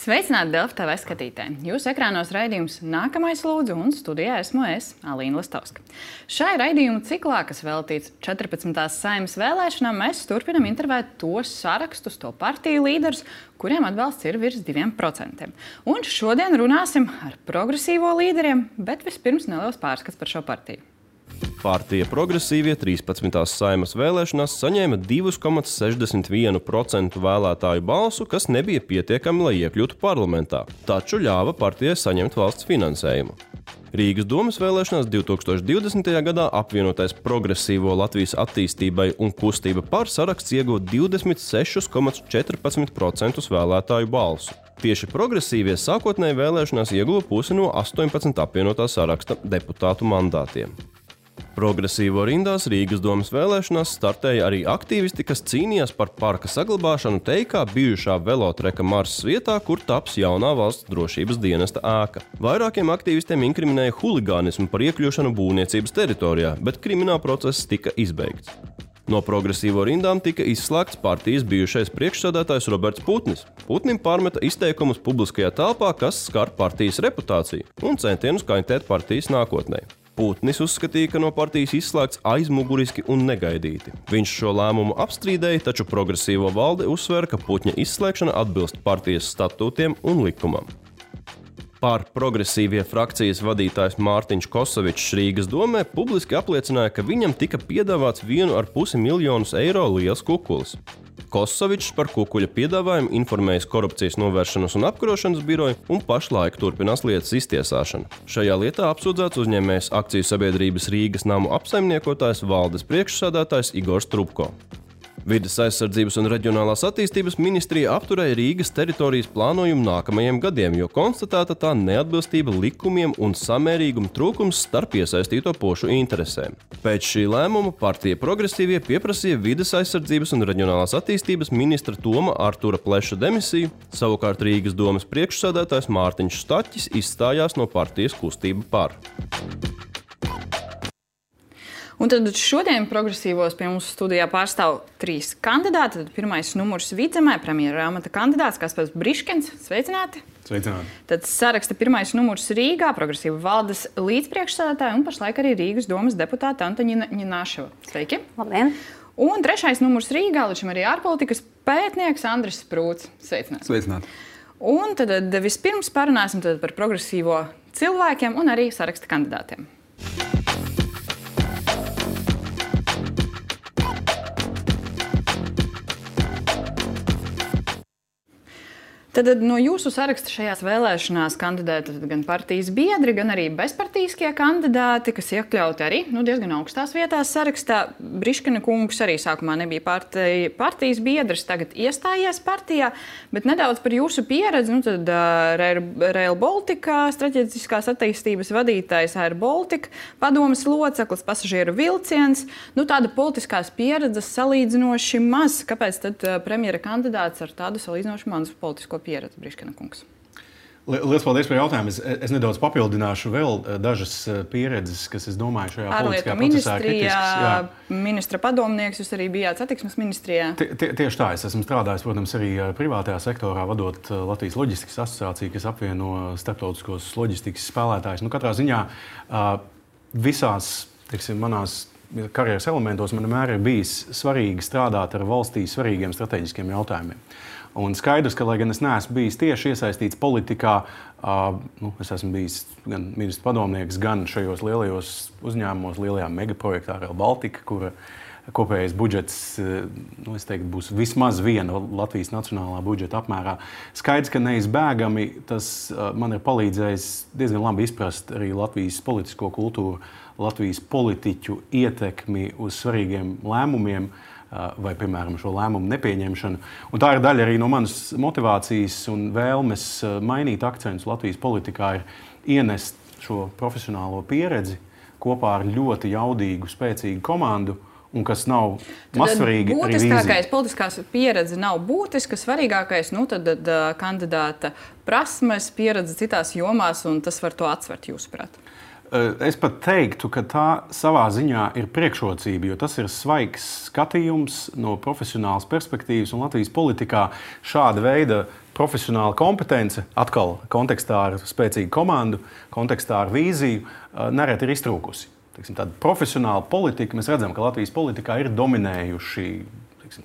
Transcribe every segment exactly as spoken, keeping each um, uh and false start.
Sveicināti Delfi T V skatītāji! Jūsu ekrānos raidījums Nākamais lūdzu, un studijā esmu es, Alīna Lastovska. Šai raidījumu ciklā, kas veltīts četrpadsmitās Saeimas vēlēšanām, mēs turpinam intervēt tos sarakstus, to partiju līderus, kuriem atbalsts ir virs diviem procentiem. Un šodien runāsim ar progresīvo līderiem, bet vispirms neliels pārskats par šo partiju. Partija Progresīvie trīspadsmitās Saeimas vēlēšanās saņēma divi komats sešdesmit viens procents vēlētāju balsu, kas nebija pietiekami, lai iekļūtu parlamentā, taču ļāva partijai saņemt valsts finansējumu. Rīgas domas vēlēšanās divi tūkstoši divdesmitajā gadā apvienotais Progresīvo Latvijas attīstībai un kustība par saraksts ieguva divdesmit seši komats četrpadsmit procenti vēlētāju balsu. Tieši progresīvie sākotnēji vēlēšanās ieguva pusi no astoņpadsmit apvienotā saraksta deputātu mandātiem. Progresīvo rindās Rīgas domas vēlēšanās startēja arī aktīvisti, kas cīnījās par parka saglabāšanu Teikā bijušā velotreka Marsas vietā, kur taps jaunā valsts drošības dienesta ēka. Vairākiem aktīvistiem inkriminēja huligānismu par iekļūšanu būvniecības teritorijā, bet krimināla process tika izbeigts. No progresīvo rindām tika izslēgts partijas bijušais priekšsēdētājs Roberts Putnis. Putnim pārmeta izteikumus publiskajā telpā, kas skar partijas reputāciju un centienus kaitēt partijas nākotnē. Putnis uzskatīja, ka no partijas izslēgts aizmuguriski un negaidīti. Viņš šo lēmumu apstrīdēja, taču progresīvo valde uzsvēra, ka Putņa izslēgšana atbilst partijas statūtiem un likumam. Par progresīvie frakcijas vadītājs Mārtiņš Kosovičs Rīgas domē publiski apliecināja, ka viņam tika piedāvāts vienu ar pusi miljonus eiro liels kukulis. Kosovičs par kukuļa piedāvājumu informējis Korupcijas novēršanas un apkarošanas biroju un pašlaik turpinās lietas iztiesāšanu. Šajā lietā apsūdzēts uzņēmējs akciju sabiedrības Rīgas namu apsaimniekotājs valdes priekšsēdētājs Igors Trubko. Vides aizsardzības un reģionālās attīstības ministrija apturēja Rīgas teritorijas plānojumu nākamajiem gadiem, jo konstatēta tā neatbilstība likumiem un samērīguma trūkums starp iesaistīto pušu interesēm. Pēc šī lēmuma partija Progresīvie pieprasīja vides aizsardzības un reģionālās attīstības ministra Toma Artura Pleša demisiju, savukārt Rīgas domas priekšsēdētājs Mārtiņš Staķis izstājās no partijas kustība par. Un tad šodien progresīvos pie mums studijā pārstāv trīs kandidāti. Tad pirmais numurs Vidzemē, premjera amata kandidāts Kaspars Briškens. Sveicināti! Sveicināti! Tad saraksta pirmais numurs Rīgā, progresīva valdes līdzpriekšsēdētāja un pašlaik arī Rīgas domas deputāta Antaņina Ņināševa. Sveiki! Labdien! Un trešais numurs Rīgā, līdz šim arī ārpolitikas pētnieks Andris Sprūts. Sveicināti! Sveicināti! Un tad vispirms parunāsim tad par progresīvo cilvēkiem un arī saraksta kandidātiem. Tad no jūsu saraksta šajās vēlēšanās kandidēta gan partijas biedri, gan arī bezpartijiskie kandidāti, kas iekļauti arī nu, diezgan augstās vietās sarakstā. Briškena kungs arī sākumā nebija partija, partijas biedrs, tagad iestājies partijā, bet nedaudz par jūsu pieredzi. Nu, tad uh, Rail Baltica, strateģiskās attīstības vadītājs Air Baltica, padomes loceklis, pasažieru vilciens. Nu, tāda politiskās pieredzes salīdzinoši maz. Kāpēc tad uh, premjera kandidāts ar tādu salīdzinoši mazu politisko pieredzi, Briškena kungs? Lielas paldies par jautājumu. Es, es nedaudz papildināšu vēl dažas pieredzes, kas, es domāju, šajā politiskajā procesā ir kritiskas. Ministra padomnieks, jūs arī bijāt satiksmes ministrijā. Tie, tie, tieši tā. Es esmu strādājis, protams, arī privātajā sektorā, vadot Latvijas loģistikas asociāciju, kas apvieno starptautiskos loģistikas spēlētājus. Nu, katrā ziņā visās, teiksim, manās karjeras elementos man vienmēr ir bijis svarīgi strādāt ar valstī svarīgiem strateģiskiem jautājumiem. Un skaidrs, ka, lai gan es neesmu bijis tieši iesaistīts politikā, uh, nu, es esmu bijis gan ministra padomnieks, gan šajos lielajos uzņēmumos, lielajā megaprojektā Rail Baltica, kura kopējais budžets, nu, es teiktu, būs vismaz viena Latvijas nacionālā budžeta apmērā. Skaidrs, ka neizbēgami tas uh, man ir palīdzējis diezgan labi izprast arī Latvijas politisko kultūru, Latvijas politiķu ietekmi uz svarīgiem lēmumiem, vai, piemēram, šo lēmumu nepieņemšanu. Un tā ir daļa arī no manas motivācijas un vēlmes mainīt akcentus Latvijas politikā, ir ienest šo profesionālo pieredzi kopā ar ļoti jaudīgu, spēcīgu komandu, un kas nav mazsvarīgi arī vīzija. Būtiskākais politiskās pieredze nav būtiska, svarīgākais, nu tad, tad kandidāta prasmes, pieredze citās jomās, un tas var to atsvert, jūsuprāt? Es pat teiktu, ka tā savā ziņā ir priekšrocība, jo tas ir svaigs skatījums no profesionālas perspektīvas, un Latvijas politikā šāda veida profesionāla kompetence, atkal kontekstā ar spēcīgu komandu, kontekstā ar vīziju, nereti ir iztrūkusi. Tāda profesionāla politika, mēs redzam, ka Latvijas politikā ir dominējuši.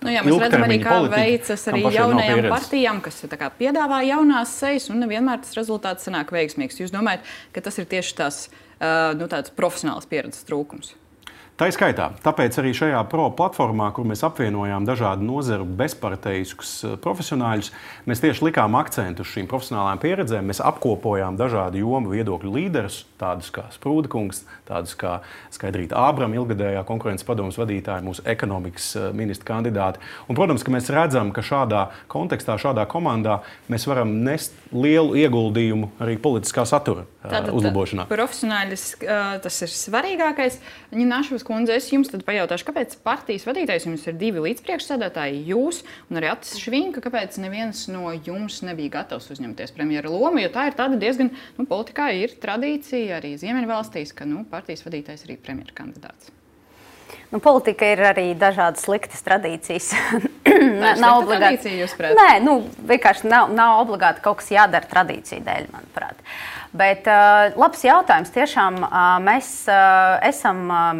Nu, jā, mēs redzam arī, kā politika, veicas arī jaunajām partijām, kas kā, piedāvā jaunās sejas, un nevienmēr tas rezultāts sanāk veiksmīgs. Jūs domājat, ka tas ir tieši tās uh, nu, profesionālas pieredzes trūkums? Tā ir skaitā. Tāpēc arī šajā pro platformā, kur mēs apvienojām dažādu nozaru bezparteiskus profesionāļus, mēs tieši likām akcentu uz šīm profesionālām pieredzēm. Mēs apkopojām dažādu jomu viedokļu līderus, tādus kā Sprūda kungs, tādus kā Skaidrīta Ābrama, ilgadējā konkurences padomes vadītāja, mūsu ekonomikas ministra kandidāti. Un, protams, ka mēs redzam, ka šādā kontekstā, šādā komandā mēs varam nest lielu ieguldījumu arī politiskā satura Tātad, uzlabošanā. Profesionāļus tas ir svarīgākais. Ņināšos kundze, es jums tad pajautāšu, kāpēc partijas vadītājs jums ir divi līdzpriekšsēdētāji, jūs un arī Atis Švinka, kāpēc neviens no jums nebija gatavs uzņemties premjera lomu, jo tā ir tāda diezgan, nu, politikā ir tradīcija arī Ziemeļvalstīs, ka, nu, partijas vadītājs ir arī premjera kandidāts. Nu, politika ir arī dažādas sliktas tradīcijas. Tā ir nav obligāti tradīcija, jūs prāt? Nē, nu, vienkārši nav, nav obligāti kaut kas jādara tradīciju dēļ, manuprāt. Bet uh, labs jautājums. Tiešām uh, mēs uh, esam uh,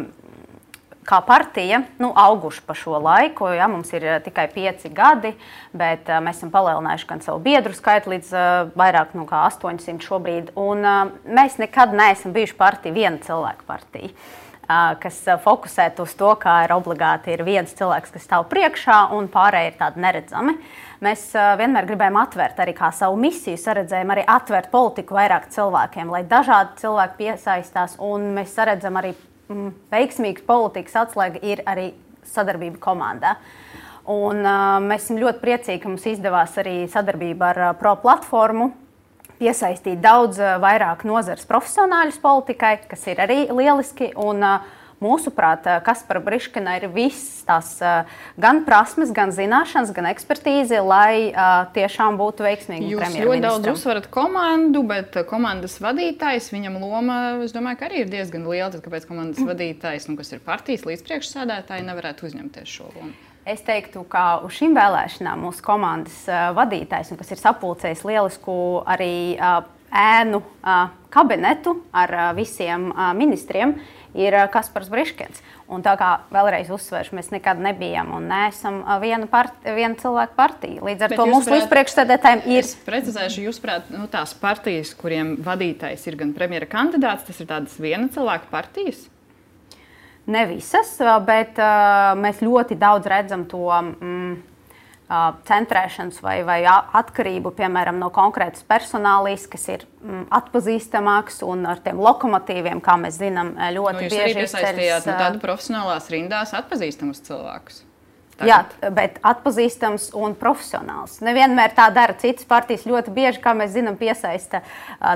kā partija nu, auguši pa šo laiku. Ja, mums ir uh, tikai pieci gadi, bet uh, mēs esam palielinājuši gan savu biedru skaitu līdz uh, vairāk nu, kā astoņsimt šobrīd. Un uh, mēs nekad neesam bijuši partija, viena cilvēka partija, uh, kas uh, fokusētu uz to, kā ir obligāti ir viens cilvēks, kas stāv priekšā, un pārējie ir tādi neredzami. Mēs uh, vienmēr gribējām atvērt arī kā savu misiju, saredzējām arī atvērt politiku vairāk cilvēkiem, lai dažādi cilvēki piesaistās, un mēs saredzam arī mm, veiksmīgas politikas atslēga ir arī sadarbība komandā. Un uh, mēs esam ļoti priecīgi, ka mums izdevās arī sadarbība ar uh, Pro platformu piesaistīt daudz uh, vairāk nozares profesionāļus politikai, kas ir arī lieliski, un uh, mūsuprāt, Kaspara Briškina ir viss tās gan prasmes, gan zināšanas, gan ekspertīze, lai uh, tiešām būtu veiksmīgi premjerministram. Jūs ļoti daudz uzsverat komandu, bet komandas vadītājs, viņam loma, es domāju, ka arī ir diezgan liela. Tad kāpēc komandas vadītājs, nu, kas ir partijas līdzpriekšsēdētāji, nevarētu uzņemties šo lomu? Es teiktu, ka uz šīm vēlēšanām mūsu komandas uh, vadītājs, kas ir sapulcējis lielisku arī uh, ēnu uh, kabinetu ar uh, visiem uh, ministriem, ir Kaspars Briškins. Un tā kā vēlreiz uzsveršu, mēs nekad nebijam un neesam viena, part, viena cilvēka partija. Līdz ar Bet to mūsu līdzpriekšsēdētājiem ir... Es precizēšu, jūs prāt, nu, tās partijas, kuriem vadītājs ir gan premjera kandidāts, tas ir tādas viena cilvēka partijas? Ne visas, bet uh, mēs ļoti daudz redzam to... Mm, centrēšanas vai, vai atkarību, piemēram, no konkrētas personālijas, kas ir mm, atpazīstamāks un ar tiem lokomotīviem, kā mēs zinām, ļoti nu, bieži izceļas. Jūs arī piesaistījāt nu, tādu profesionālās rindās atpazīstamus cilvēkus. Tagad. Jā, bet atpazīstams un profesionāls. Nevienmēr tā dara citas partijas. Ļoti bieži, kā mēs zinām, piesaista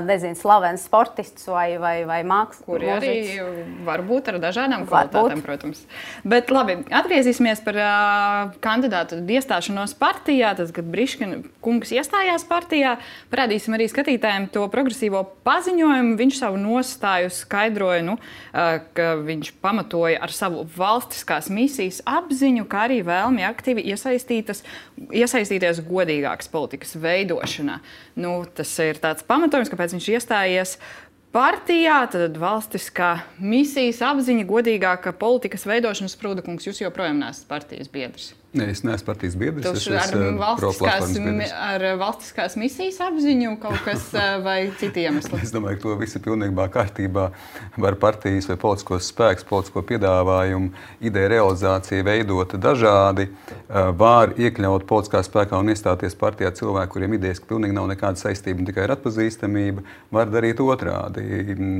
nezinu, slavens sportistus vai, vai, vai māksliniekus. Kuri arī var būt ar dažādām kvalitātēm, protams. Bet labi, atgriezīsimies par uh, kandidātu iestāšanos partijā. Tad, kad Briškina kungs iestājās partijā, parādīsim arī skatītājiem to progresīvo paziņojumu. Viņš savu nostāju skaidroja, nu, uh, ka viņš pamatoja ar savu valstiskās misijas apziņu, kā arī vēlmi aktīvi iesaistīties godīgākas politikas veidošanā. Nu, tas ir tāds pamatojums, kāpēc viņš iestājies partijā, tad valstiskā misijas apziņa, godīgāka politikas veidošanas. Sprūda kungs, jūs joprojām neesat partijas biedrs. Nē, es neesmu partijas biedrs. Tas ar, valstiskās, ar valstiskās misijas apziņu kaut kas vai citi iemesli? Es domāju, ka to visu pilnībā kārtībā var partijas vai politiskos spēks, politisko piedāvājumu, ideja realizācija veidot dažādi. Var iekļaut politiskā spēkā un iestāties partijā cilvēku, kuriem idejas, ka pilnīgi nav nekāda saistība un tikai ir atpazīstamība. Var darīt otrādi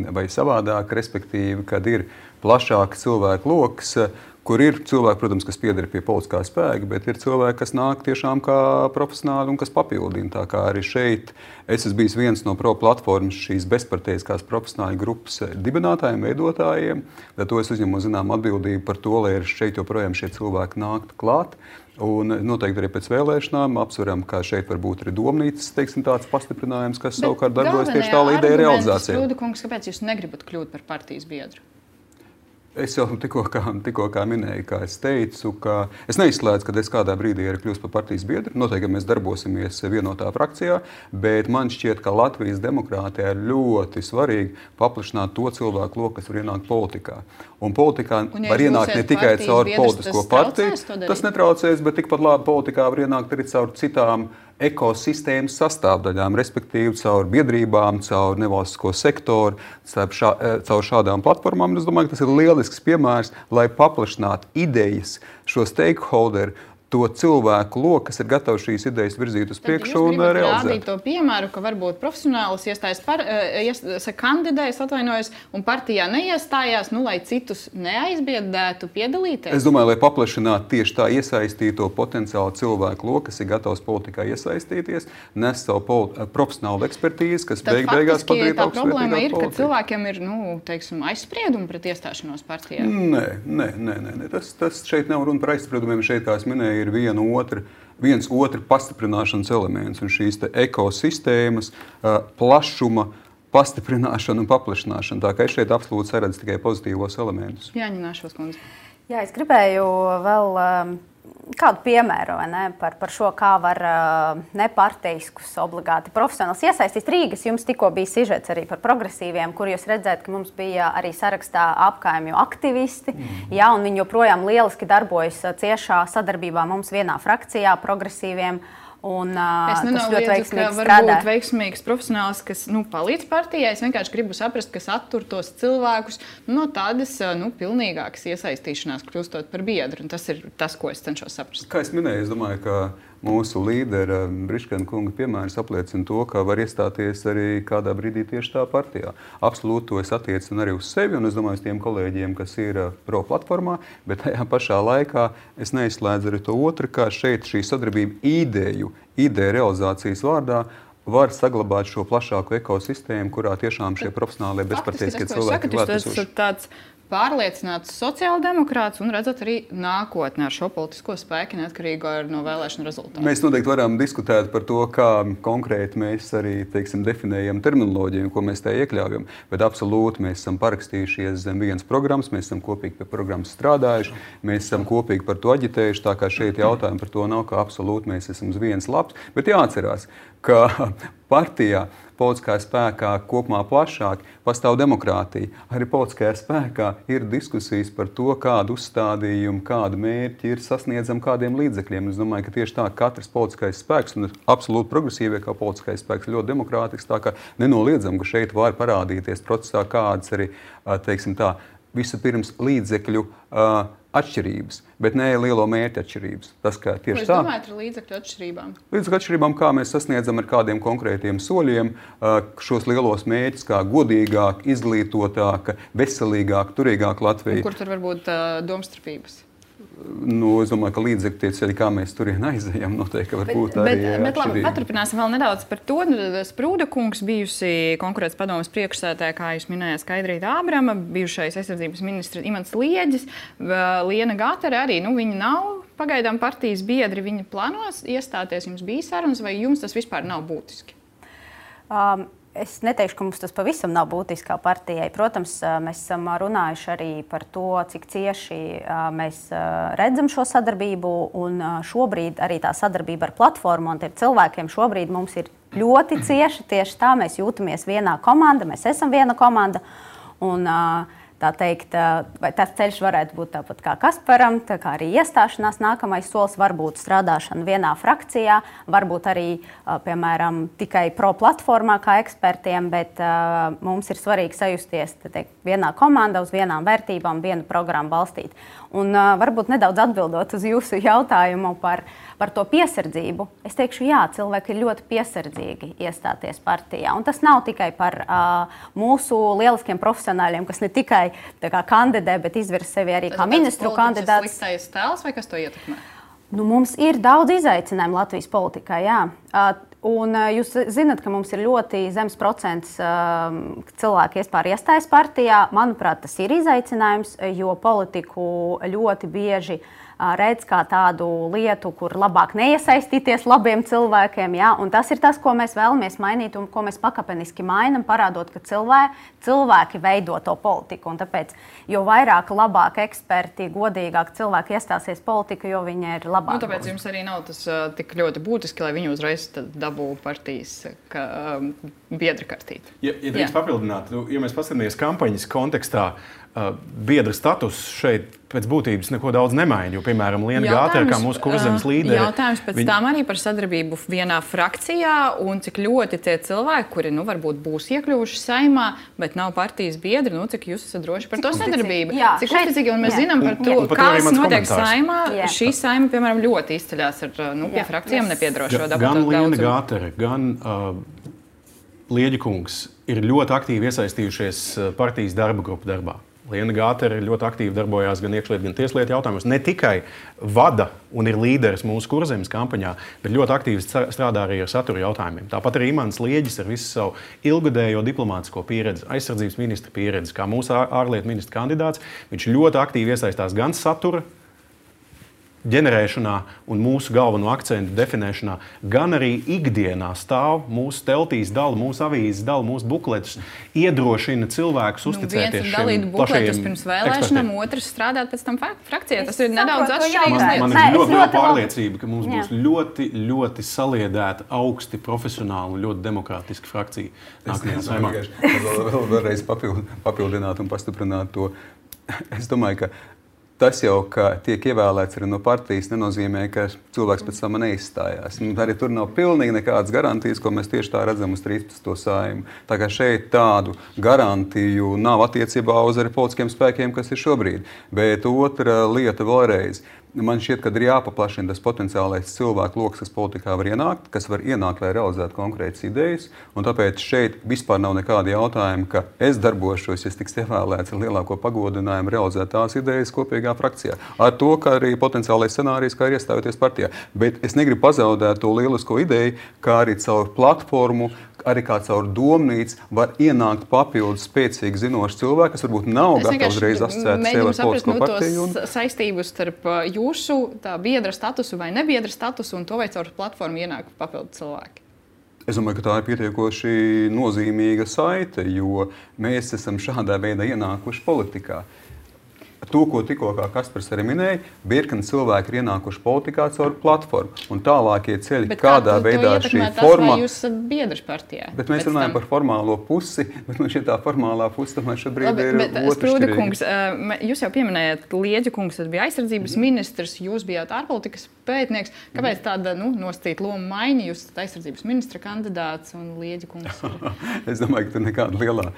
vai savādāk, respektīvi, kad ir plašāks cilvēku loks, kur ir cilvēki, protams, kas pieder pie politiskā spēka, bet ir cilvēki, kas nāk tiešām kā profesionāli un kas papildina. Tā kā arī šeit es esmu bijis viens no pro platformas šīs bezparteiskās profesionāļu grupas dibinātājiem, veidotājiem. Tad to es uzņemu zinām atbildību par to, lai šeit joprojām šie cilvēki nāktu klāt. Un noteikti arī pēc vēlēšanām apsveram, ka šeit var būt arī domnīcas, teiksim, tāds pastiprinājums, kas bet savukārt darbojas tieši tā ideja realizācijā. Sprūda kungs, kāpēc jūs negribat kļūt par partijas biedru? Es jau tikko kā, tikko kā minēju, kā es teicu, ka es neizslēdzu, ka es kādā brīdī arī kļūstu par partijas biedru. Noteikti mēs darbosimies vienotā frakcijā, bet man šķiet, ka Latvijas demokrātijā ir ļoti svarīgi paplašināt to cilvēku loku, kas var ienākt politikā. Un politikā un, ja var ienākt ne tikai caur politisko partiju, tas netraucēs, bet tikpat labi politikā var ienākt arī caur citām ekosistēmas sastāvdaļām, respektīvi caur biedrībām, caur nevalstisko sektoru, caur, šā, caur šādām platformām. Es domāju, ka tas ir lielisks piemērs, lai paplašinātu idejas šo stakeholderu, to cilvēku loku, kas ir gatavi šīs idejas virzīt uz priekšu un realizēt. Jūs gribat to piemēru, ka varbūt profesionālis iestājas par, ies, kandidējas, atvainojas, un partijā neiestājās, nu, lai citus neaizbiedētu piedalīties? Es domāju, lai paplašinātu tieši tā iesaistīto potenciālu cilvēku loku, kas ir gatavs politikā iesaistīties, nes savu profesionālu ekspertīzi, kas beig, beigās padarīt tā problēma ir, ka cilvēkiem ir, nu, teiksim, aizspriedumi pret iestāšanos partijā. Nē, nē, nē, nē. Tas, tas šeit nav runa par aizspriedumiem. Šeit, kā es minēju, ir viena otra, viens otra pastiprināšanas elements un šīs te ekosistēmas uh, plašuma pastiprināšana un paplašināšana. Tā kā es šeit absolūti saredzu tikai pozitīvos elementus. Jāņināšos, kundze. Jā, es gribēju vēl um, kādu piemēru vai ne, par, par šo, kā var uh, neparteiskus obligāti profesionāls iesaistīt. Rīgas jums tikko bija sižets arī par progresīviem, kur jūs redzēt, ka mums bija arī sarakstā apkaimju aktivisti, mm. jā, un viņi joprojām lieliski darbojas ciešā sadarbībā mums vienā frakcijā progresīviem. Un, uh, es nenoliedzu, ka var būt veiksmīgs profesionāls, kas nu, palīdz partijai. Es vienkārši gribu saprast, kas attur tos cilvēkus no tādas nu, pilnīgākas iesaistīšanās, kļūstot par biedru. Un tas ir tas, ko es cenšos saprast. Kā es minēju, es domāju, ka mūsu līdera Briškena kunga piemērs apliecina to, ka var iestāties arī kādā brīdī tieši tā partijā. Absolūti to es attiecinu arī uz sevi un es domāju uz tiem kolēģiem, kas ir pro platformā, bet tajā pašā laikā es neizslēdzu arī to otru, kā šeit šī sadarbība ideju, ideja realizācijas vārdā var saglabāt šo plašāku ekosistēmu, kurā tiešām šie profesionālie bezparteiskie cilvēki ir klātesoši. Pārliecināts sociāldemokrāts un redzat arī nākotnē ar šo politisko spēku neatkarīgi no vēlēšanu rezultātiem. Mēs noteikti varam diskutēt par to, kā konkrēti mēs arī, teiksim, definējam terminoloģiju, ko mēs tajā iekļaujam, bet absolūti mēs esam parakstījušies zem vienas programmas, mēs esam kopīgi pie programmas strādājuši, mēs esam kopīgi par to aģitējuši, tā kā šeit jautājumi par to nav, ka absolūti mēs esam uz viens labs, bet jāatcerās, ka partijā politiskā spēkā kopumā plašāk pastāv demokrātija. Arī politiskajā spēkā ir diskusijas par to, kādu uzstādījumu, kādu mērķi ir sasniedzami kādiem līdzekļiem. Es domāju, ka tieši tā katrs politiskais spēks, un absolūti progresīvie kā politiskais spēks, ļoti demokrātisks, tā kā nenoliedzam, ka šeit var parādīties procesā kādas arī, teiksim tā, vispirms līdzekļu uh, atšķirības, bet ne lielo mērķu atšķirības. Tas, ka tieši tā. Ko jūs domājat ar līdzekļu atšķirībām? Līdzekļu atšķirībām, kā mēs sasniedzam ar kādiem konkrētiem soļiem šos lielos mērķus, kā godīgāk, izglītotāka, veselīgāk, turīgāk Latvija. Un kur tur var būt uh, domstarpības? Nu, es domāju, ka līdzekļu tie ceļi, kā mēs turien aizejam, noteikti var būt arī bet, bet labi, paturpināsim vēl nedaudz par to. Sprūda kungs, bijusi konkurētas padomes priekšsēdētāja, kā jūs minējāt, Skaidrīta Ābrama, bijušais aizsardzības ministrs Imants Lieģis, Liena Gātere arī, nu, viņi nav pagaidām partijas biedri, viņi plānos iestāties, jums bija sarunas, vai jums tas vispār nav būtiski? Um. Es neteikšu, ka mums tas pavisam nav būtiski kā partijai. Protams, mēs esam runājuši arī par to, cik cieši mēs redzam šo sadarbību. Un šobrīd arī tā sadarbība ar platformu un cilvēkiem šobrīd mums ir ļoti cieša. Tieši tā mēs jūtamies vienā komanda, mēs esam viena komanda. Un, tā teikt, vai tas ceļš varētu būt tāpat kā Kasparam, tā kā arī iestāšanās nākamais solis, varbūt strādāšana vienā frakcijā, varbūt arī, piemēram, tikai pro platformā kā ekspertiem, bet uh, mums ir svarīgi sajusties teikt, vienā komandā, uz vienām vērtībām, vienu programmu balstīt. Un uh, varbūt nedaudz atbildot uz jūsu jautājumu par, par to piesardzību, es teikšu, jā, cilvēki ir ļoti piesardzīgi iestāties partijā. Un tas nav tikai par uh, mūsu lieliskiem profesionāļiem, kas ne tikai tā kā kandidē, bet izvirza sevi arī kā ministru kandidāts. Tas ir sliktais tēls vai kas to ietekmē? Nu, mums ir daudz izaicinājumu Latvijas politikā, jā. Un jūs zināt, ka mums ir ļoti zems procents cilvēku vispār iestājas partijā. Manuprāt, tas ir izaicinājums, jo politiku ļoti bieži redz kā tādu lietu, kur labāk neiesaistīties labiem cilvēkiem. Ja? Un tas ir tas, ko mēs vēlamies mainīt un ko mēs pakāpeniski mainām, parādot, ka cilvēki, cilvēki veido to politiku. Un tāpēc, jo vairāk, labāk eksperti, godīgāk cilvēki iestāsies politiku, jo viņi ir labāk. Nu, tāpēc jums arī nav tas uh, tik ļoti būtiski, lai viņi uzreiz dabū partijas ka, um, biedra kartīti. Ja, ja drīkst papildināt, nu, ja mēs paskatāmies kampaņas kontekstā, uh, biedra status šeit pēc būtības neko daudz nemaina, jo, piemēram, Liena Gātere, kā mūsu Kurzemes līderi... Jautājums pēc viņ... tām arī par sadarbību vienā frakcijā un cik ļoti tie cilvēki, kuri, nu, varbūt būs iekļuvuši Saeimā, bet nav partijas biedri, nu, cik jūs esat droši par to sadarbību. Jā, cik uzticīgi, un mēs jā. zinām par to, un, un kas notiek komentārs. Saeimā. Jā. Šī Saeima, piemēram, ļoti izceļās ar, nu, pie jā. frakcijām nepiedrošo deputātu. Gan Liena Gātere, gan uh, Lieģa kungs ir ļoti aktīvi iesaistījušies partijas darba grupu darbā. Liena Gātere ļoti aktīvi darbojās gan iekšlietu, gan tieslietu jautājumos. Ne tikai vada un ir līderis mūsu Kurzemes kampaņā, bet ļoti aktīvi strādā arī ar satura jautājumiem. Tāpat arī Imants Lieģis ar visu savu ilgadējo diplomātisko pieredzi, aizsardzības ministra pieredzi, kā mūsu ārlietu ministra kandidāts. Viņš ļoti aktīvi iesaistās gan satura ģenerēšanā un mūsu galveno akcentu definēšanā, gan arī ikdienā stāv mūsu teltīs, dala mūsu avīzes, dala mūsu bukletus, iedrošina cilvēkus uzticēties šiem plašajiem ekspertiem. Viens ir dalīt bukletus pirms vēlēšanām, otrs strādāt pēc tam frakcijā. Tas ir nedaudz atšķirīgs lietas. Man ir ļoti liela pārliecība, ka mums būs ļoti, ļoti saliedēta, augsti profesionāla un ļoti demokrātiska frakcija. Es vēl vēlreiz papildināt un pastiprināt to. Es domāju, ka tas jau, ka tiek ievēlēts arī no partijas, nenozīmē, ka cilvēks pēc tam neizstājās. Arī tur nav pilnīgi nekādas garantijas, ko mēs tieši tā redzam uz trīspadsmito Saeimu. Tā kā šeit tādu garantiju nav attiecībā uz arī politiskiem spēkiem, kas ir šobrīd. Bet otra lieta vēlreiz. Man šķiet, ka ir jāpaplašina tas potenciālais cilvēku loks, kas politikā var ienākt, kas var ienākt, lai realizētu konkrētas idejas. Un tāpēc šeit vispār nav nekāda jautājuma, ka es darbošos, ja es tiks ievēlēts ar lielāko pagodinājumu realizēt tās idejas kopīgā frakcijā. Ar to, ka arī potenciālais scenārijs, kā ir iestājoties partijā. Bet es negribu pazaudēt to lielisko ideju, kā arī caur platformu, arī kā caur domnīcu var ienākt papildus spēcīgi zinoši cilvēki, kas varbūt nav gatavi uzreiz asociēt sevi ar politisko partiju. Un... saistības starp jūsu tā biedra statusu vai nebiedra statusu un to, vai caur platformu ienāk papildus cilvēki. Es domāju, ka tā ir pietiekoši nozīmīga saite, jo mēs esam šādā veidā ienākuši politikā. To, ko tikko Kaspars arī minēja, virkni cilvēki ir ienākuši politikā caur platformu. Un tālākie ceļi, bet kādā kā veidā šī forma... Jūs esat biedrs partijā. Bet mēs runājam tam... par formālo pusi, bet man šī tā formālā pusi tomēr šobrīd Labi, ir otršķirīga. Kungs, jūs jau pieminējāt, Lieģa kungs bija aizsardzības ministrs, jūs bijāt ārpolitikas pētnieks. Kāpēc tāda nu, nostīt loma maiņa? Jūs esat aizsardzības ministra kandidāts un Lieģa kungs ir... Es domāju, ka tur nekāda lielā...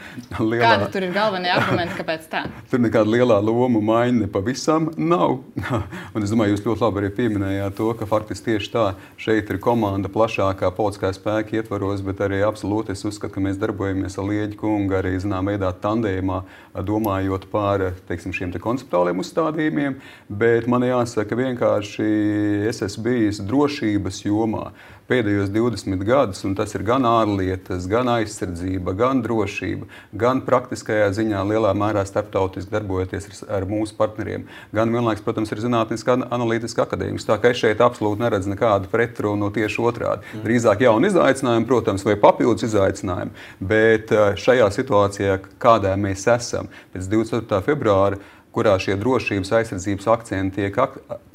lielā... Kāda tur ir galvenie argumenti, kāpēc tā? Tur nekāda lielā loma maiņa nepavisam nav. Un es domāju, jūs ļoti labi arī pieminējāt to, ka faktiski tieši tā šeit ir komanda plašākā politiskā spēka ietvaros, bet arī absolūti es uzskatu, ka mēs darbojamies ar Lieģi kungu arī, zinām, veidā tandēmā, domājot par, teiksim, šiem te konceptuāliem uzstādījumiem, bet man jāsaka vienkārši es esmu bijis drošības jomā pēdējos divdesmit gadus, un tas ir gan ārlietas, gan aizsardzība, gan drošība, gan praktiskajā ziņā lielā mērā starptautiski darbojoties ar, ar mūsu partneriem, gan vienlaiks, protams, ir zinātniska analītiska akadēmijas. Tā kā es šeit absolūti neredzu nekādu pretrunu tieši otrādi. Mm. Drīzāk jauni izaicinājumi, protams, vai papildus izaicinājumi, bet šajā situācijā, kādā mēs esam pēc divdesmit ceturtā februāra, kurā šie drošības aizsardzības akcenti tiek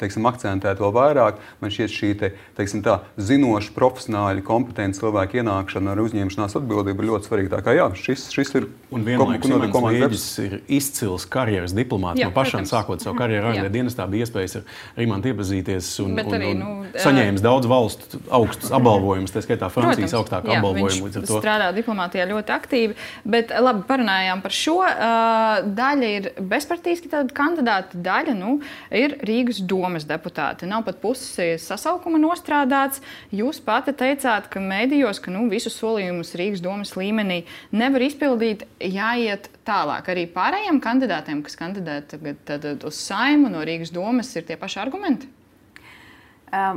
teiksim, akcentēti vēl vairāk, man šķiet šī te, teiksim, tā, zinoša, profesionāļi, kompetenti cilvēki ienākšana ar uzņemšanās atbildību ir ļoti svarīga. Tā kā jā, šis, šis ir... Un vienlaikus Imants Lieģis ir izcils karjeras diplomāts. No pašām sākot savu karjeru ārlietu dienestā bija iespējas ar Imantu iepazīties un, un, arī, un nu, saņēmis daudz valstu augstus apbalvojumus, tā skaitā Francijas augstāku apbalvojumu. Viņš to... strādā diplomātijā ļoti aktīvi, bet labi, parunājām par šo. Uh, daļa ir bezpartijski tad kandidāta daļa nu, ir Rīgas domas deputāti. Nav pat pusi sasaukuma nostrādāts. Jūs pati teicāt, ka medijos, ka nu, visus solījumus Rīgas domas līmenī nevar izpildīt, jāiet tālāk. Arī pārējiem kandidātiem, kas kandidē tagad, tad uz Saimu no Rīgas domas, ir tie paši argumenti?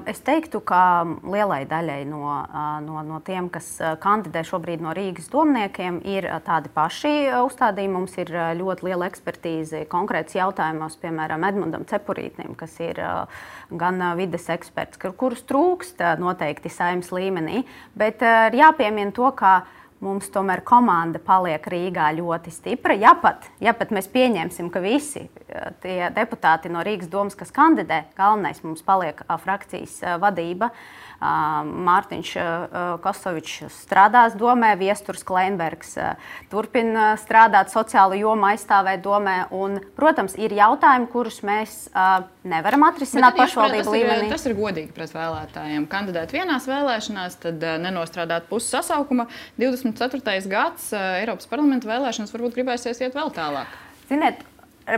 Es teiktu, ka lielai daļai no, no, no tiem, kas kandidē šobrīd no Rīgas domniekiem, ir tādi paši uzstādījumi. Mums ir ļoti liela ekspertīze konkrēts jautājumos, piemēram, Edmundam Cepurītnim, kas ir gan vides eksperts, kurus trūkst noteikti Saeimas līmenī. Bet ir jāpiemina to, ka mums tomēr komanda paliek Rīgā ļoti stipra. Ja pat, ja pat mēs pieņemsim, ka visi tie deputāti no Rīgas domas, kas kandidē, galvenais mums paliek frakcijas vadība. Mārtiņš Kosovičs strādās domē, Viesturs Kleinbergs turpina strādāt sociālo jomu, aizstāvēt domē. Un, protams, ir jautājumi, kurus mēs nevaram atrisināt pašvaldību līmenī. Tas ir godīgi pret vēlētājiem. Kandidēt vienās vēlēšanās, tad nenostrādāt pusi sasaukuma. divdesmit ceturtais gads Eiropas parlamenta vēlēšanas varbūt gribēsies iet vēl tālāk. Ziniet,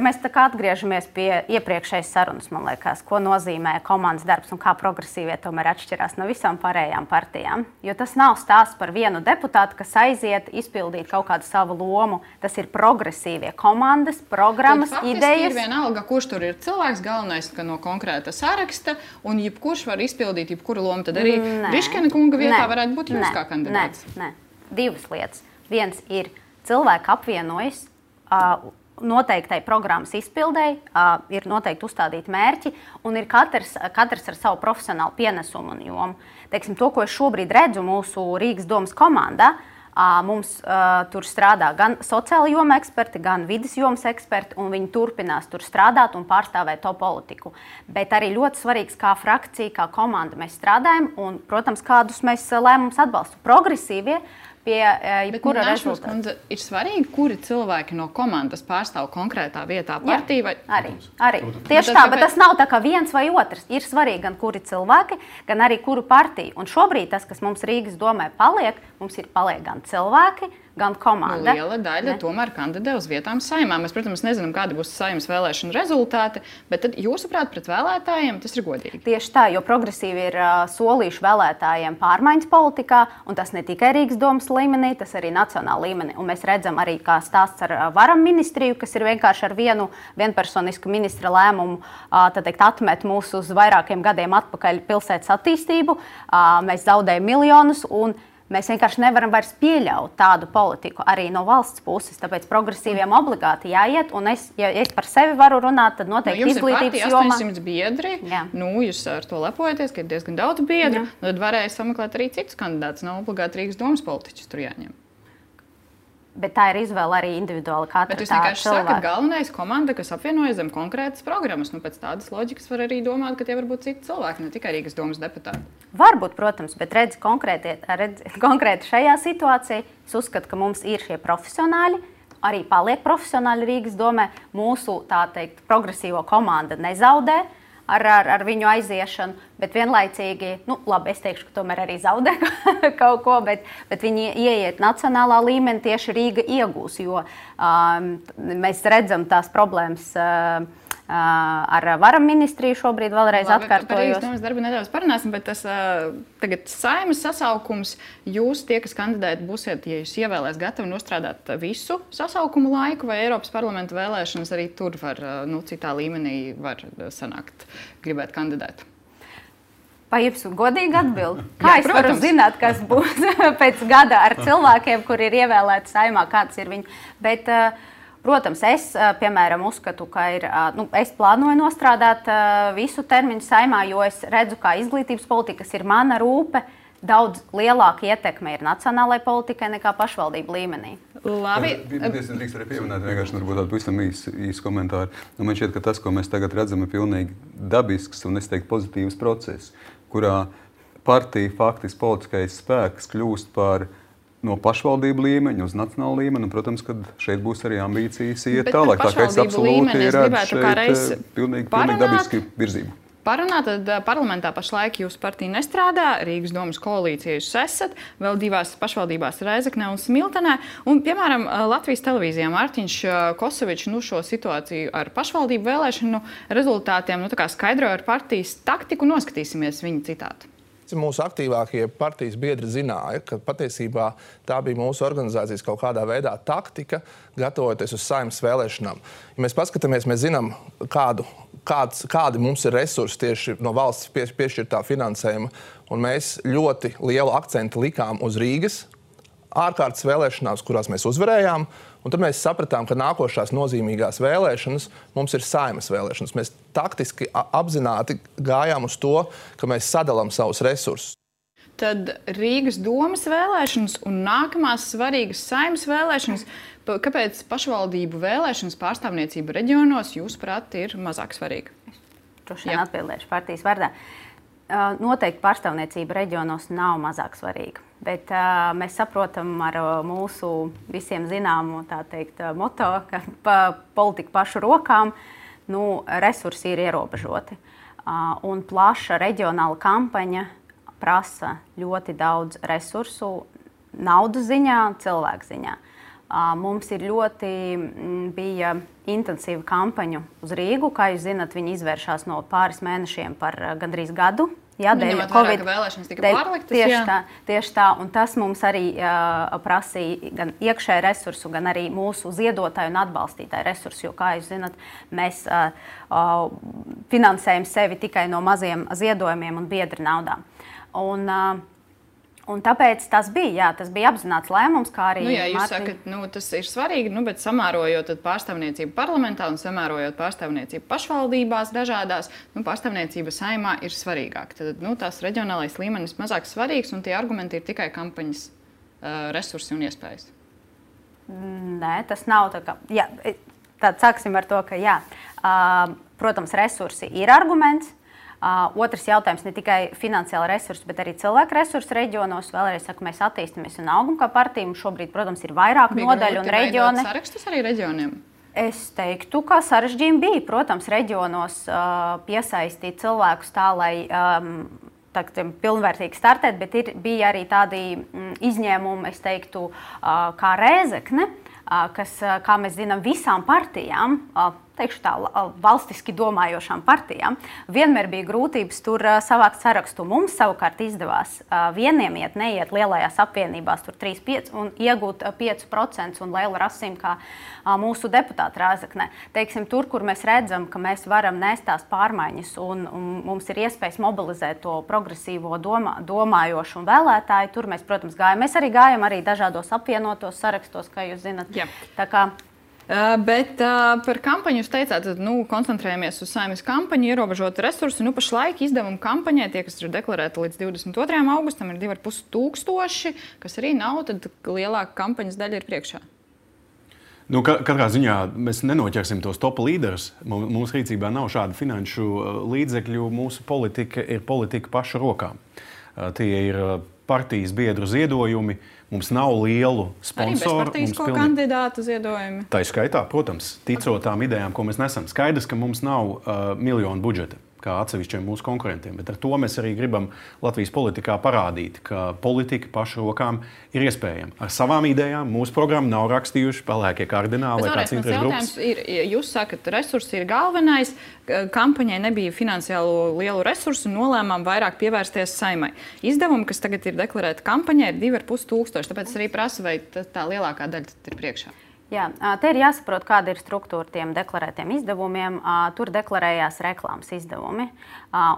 mēs tā kā atgriežamies pie iepriekšējas sarunas, man liekas, ko nozīmē komandas darbs un kā progresīvie tomēr atšķirās no visām pārējām partijām. Jo tas nav stāsts par vienu deputātu, kas aiziet izpildīt kaut kādu savu lomu. Tas ir progresīvie komandas, programmas, tad idejas. Ir vienalga, kurš tur ir cilvēks, galvenais, ka no konkrēta saraksta, un jebkurš var izpildīt jebkuru lomu. Tad arī Briškena kunga vietā nē, varētu būt jūs nē, kā kandidāts. Nē, nē, divas lietas. Viens ir cilvēki apvienojas, uh, noteiktai programmas izpildēji, uh, ir noteikti uzstādīti mērķi, un ir katrs, katrs ar savu profesionālu pienesumu un jomu. Teiksim, to, ko es šobrīd redzu mūsu Rīgas domas komandā, uh, mums uh, tur strādā gan sociāla joma eksperti, gan vides jomas eksperti, un viņi turpinās tur strādāt un pārstāvēt to politiku. Bet arī ļoti svarīgs, kā frakcija, kā komanda mēs strādājam, un, protams, kādus mēs lēmumus atbalstam. Progresīvie pie jebkura uh, rezultāta. Kundze, ir svarīgi, kuri cilvēki no komandas pārstāv konkrētā vietā partiju? Vai... Arī, arī. Tieši tā, bet tas nav tā kā viens vai otrs. Ir svarīgi gan kuri cilvēki, gan arī kuru partiju. Un šobrīd tas, kas mums Rīgas domē paliek, mums ir paliek gan cilvēki, gan komanda. Nu, liela daļa ne? Tomēr kandidē uz vietām Saeimā. Mēs, protams, nezinām, kādi būs Saeimas vēlēšanu rezultāti, bet tad, jūsuprāt, pret vēlētājiem tas ir godīgi. Tieši tā, jo progresīvi ir uh, solījuši vēlētājiem pārmaiņas politikā, un tas ne tikai Rīgas domas līmenī, tas arī nacionāla līmenī. Un mēs redzam arī, kā stāsts ar uh, varam ministriju, kas ir vienkārši ar vienu vienpersonisku ministra lēmumu uh, tad teikt, atmet mūs uz vairākiem gadiem atpakaļ pilsētas attīstību. Uh, mēs zaudējam miljonus un mēs vienkārši nevaram vairs pieļaut tādu politiku arī no valsts puses. Tāpēc progresīviem obligāti jāiet. Un es, ja es par sevi varu runāt, tad noteikti nu, izglītības jomā. jomā. astoņsimt biedri. Jā. Nu, jūs ar to lepojaties, ka ir diezgan daudz biedru. Nu, tad varēja sameklēt arī citus kandidātus. Nav obligāti Rīgas domas politiķus tur jāņem. Bet tā ir izvēle arī individuāli katra Bet jūs tā vienkārši cilvēka. sakat, galvenais komanda, kas apvienojas zem konkrētas programmas. Nu, pēc tādas loģikas var arī domāt, ka tie var būt citi cilvēki, ne tikai Rīgas domas deputāti. Varbūt, protams, bet redz konkrēti, redz, konkrēti šajā situācijā. Es uzskatu, ka mums ir šie profesionāļi, arī paliek profesionāļi Rīgas domē. Mūsu, tā teikt, progresīvo komanda nezaudē ar, ar, ar viņu aiziešanu, bet vienlaicīgi, nu, labi, es teikšu, ka tomēr arī zaudē kaut ko, bet, bet viņi ieiet nacionālā līmenī, tieši Rīga iegūs, jo um, mēs redzam tās problēmas uh, uh, ar varam ministriju šobrīd vēlreiz Labi, atkārtojos. Par Rīgas domas darbu nedaudz parunāsim, bet tas uh, tagad Saeimas sasaukums, jūs tie, kas kandidēt, būsiet, ja jūs ievēlēs gatavi nostrādāt visu sasaukumu laiku, vai Eiropas parlamenta vēlēšanas arī tur var, uh, nu, citā līmenī var sanākt, gribēt kandidēt? Vai jums godīgi atbild? Kā Jā, es varu protams. zināt, kas būs pēc gada ar cilvēkiem, kuri ir ievēlēti Saeimā, kāds ir viņi? Bet, protams, es, piemēram, uzskatu, ka ir, nu, es plānoju nostrādāt visu termiņu Saeimā, jo es redzu, kā izglītības politikas ir mana rūpe, daudz lielāka ietekme ir nacionālajai politikai nekā pašvaldību līmenī. Labi. Es drīkst arī pieminēt vienkārši varbūt tādu pavisam īsu, īsu komentāru. Nu, man šķiet, ka tas, ko mēs tagad redzam, ir pilnīgi dabisks un, es teiktu, pozitīvs process, kurā partija faktiski politiskais spēks kļūst par no pašvaldību līmeņa uz nacionālu līmeni, un, protams, ka šeit būs arī ambīcijas iet tālāk. Tā kā es absolūti redzu šeit pilnīgi, pilnīgi dabiski virzību. parunāt. Tad parlamentā pašlaik jūsu partija nestrādā, Rīgas domas koalīcija jūs esat, vēl divās pašvaldībās Rēzeknē un Smiltenē. Un, piemēram, Latvijas televīzijā Mārtiņš Kosovičs nu, šo situāciju ar pašvaldību vēlēšanu rezultātiem nu, tā kā skaidroja ar partijas taktiku. Noskatīsimies viņa citātu. Mūsu aktīvākie partijas biedri zināja, ka patiesībā tā bija mūsu organizācijas kaut kādā veidā taktika, gatavoties uz Saeimas vēlēšanām. Ja mēs paskatāmies, mēs zinām, kādu, kāds, kādi mums ir resursi tieši no valsts piešķirtā finansējuma, un mēs ļoti lielu akcentu likām uz Rīgas ārkārtas vēlēšanās, kurās mēs uzvarējām, un tad mēs sapratām, ka nākošās nozīmīgās vēlēšanas mums ir Saeimas vēlēšanas. Mēs taktiski apzināti gājām uz to, ka mēs sadalām savus resursus. Tad Rīgas domas vēlēšanas un nākamās svarīgas Saeimas vēlēšanas. Kāpēc pašvaldību vēlēšanas pārstāvniecība reģionos, jūsuprāt, ir mazāk svarīga? Droši vien atbildēšu partijas vārdā. Noteikti pārstāvniecība reģionos nav mazāk svarīga. Bet uh, mēs saprotam ar uh, mūsu visiem zināmo tā teikt, uh, moto, ka pa, politika pašu rokām, nu, resursi ir ierobežoti. Uh, un plaša reģionāla kampaņa prasa ļoti daudz resursu, naudas ziņā, cilvēku ziņā. Uh, mums ir ļoti m, bija intensīva kampaņa uz Rīgu. Kā jūs zinat, viņi izvēršās no pāris mēnešiem par uh, gandrīz gadu. Jā, dēļ Covid vēlēšanas tika dēļ, pārliktas. Tieši jā. tā, tieši tā. Un tas mums arī uh, prasīja gan iekšēju resursu, gan arī mūsu ziedotāju un atbalstītāju resursu. Jo, kā jūs zinat, mēs uh, uh, finansējam sevi tikai no maziem ziedojumiem un biedru naudām. Un, uh, Un tāpēc tas bija, jā, tas bija apzināts lēmums, kā arī... Nu, jā, jūs Marti... sakat, nu, tas ir svarīgi, nu, bet samērojot pārstāvniecību parlamentā un samērojot pārstāvniecību pašvaldībās dažādās, nu, pārstāvniecība Saeimā ir svarīgāka. Tad, nu, tās reģionālais līmenis mazāk svarīgs un tie argumenti ir tikai kampaņas uh, resursi un iespējas. Nē, tas nav tā kā... Jā, tad sāksim ar to, ka jā, uh, protams, resursi ir arguments. Uh, otrs jautājums ne tikai finansiāli resursi, bet arī cilvēku resursi reģionos. Vēlreiz saku, mēs attīstamies un augam kā partija. Mums šobrīd, protams, ir vairāk bija nodaļu un reģioni. Bija sarakstus arī reģioniem? Es teiktu, ka sarežģījumi bija. Protams, reģionos uh, piesaistīt cilvēkus tā, lai um, tā, pilnvērtīgi startēt, bet ir, bija arī tādi mm, izņēmumi, es teiktu, uh, kā Rēzekne, uh, kas, uh, kā mēs zinām, visām partijām, uh, teikšu tā, valstiski domājošām partijām, vienmēr bija grūtības tur uh, savākt sarakstu. Mums savukārt izdevās uh, vieniem iet, neiet lielajās apvienībās, tur trīs pieci un iegūt uh, pieci procenti un lielu rasīm, kā uh, mūsu deputāti Rēzeknē. Teiksim, tur, kur mēs redzam, ka mēs varam nest tās pārmaiņas un, un mums ir iespējas mobilizēt to progresīvo domā, domājošu un vēlētāju, tur mēs, protams, gājam. Mēs arī gājam arī dažādos apvienotos sarakstos, kā jūs zinat. Jā. Tā kā Uh, bet uh, par kampaņu jūs teicāt, tad nu, koncentrējamies uz Saeimas kampaņu, ierobežot resursi. Nu, pašlaik izdevumu kampaņai, tie, kas ir deklarēti līdz divdesmit otrajam augustam, ir divi ar pus tūkstoši, kas arī nav, tad lielāka kampaņas daļa ir priekšā. Nu, katrā ziņā mēs nenoķersim tos top līderus. Mums rīcībā nav šādu finanšu līdzekļu. Mūsu politika ir politika pašu rokām. Tie ir partijas biedru ziedojumi. Mums nav lielu sponsoru. Arī bezpartisko pilni... kandidātu ziedojumi. Tā ir skaitā, protams, ticot tām idejām, ko mēs nesam. Skaidrs, ka mums nav uh, miljonu budžeta, kā atsevišķiem mūsu konkurentiem. Bet ar to mēs arī gribam Latvijas politikā parādīt, ka politika pašu rokām ir iespējama. Ar savām idejām mūsu programmu nav rakstījuši pelēkie kardināli vai kāds interešu grupas. Ir, jūs sakat, resursi ir galvenais. Kampaņai nebija finansiālo lielu resursu, nolēmām vairāk pievērsties Saeimai. Izdevumi, kas tagad ir deklarēti kampaņai, ir divi ar pus tūkstoši. Tāpēc es arī prasu, vai tā lielākā daļa ir priekšā. Jā, te ir jāsaprot, kāda ir struktūra tiem deklarētiem izdevumiem. Tur deklarējās reklāmas izdevumi.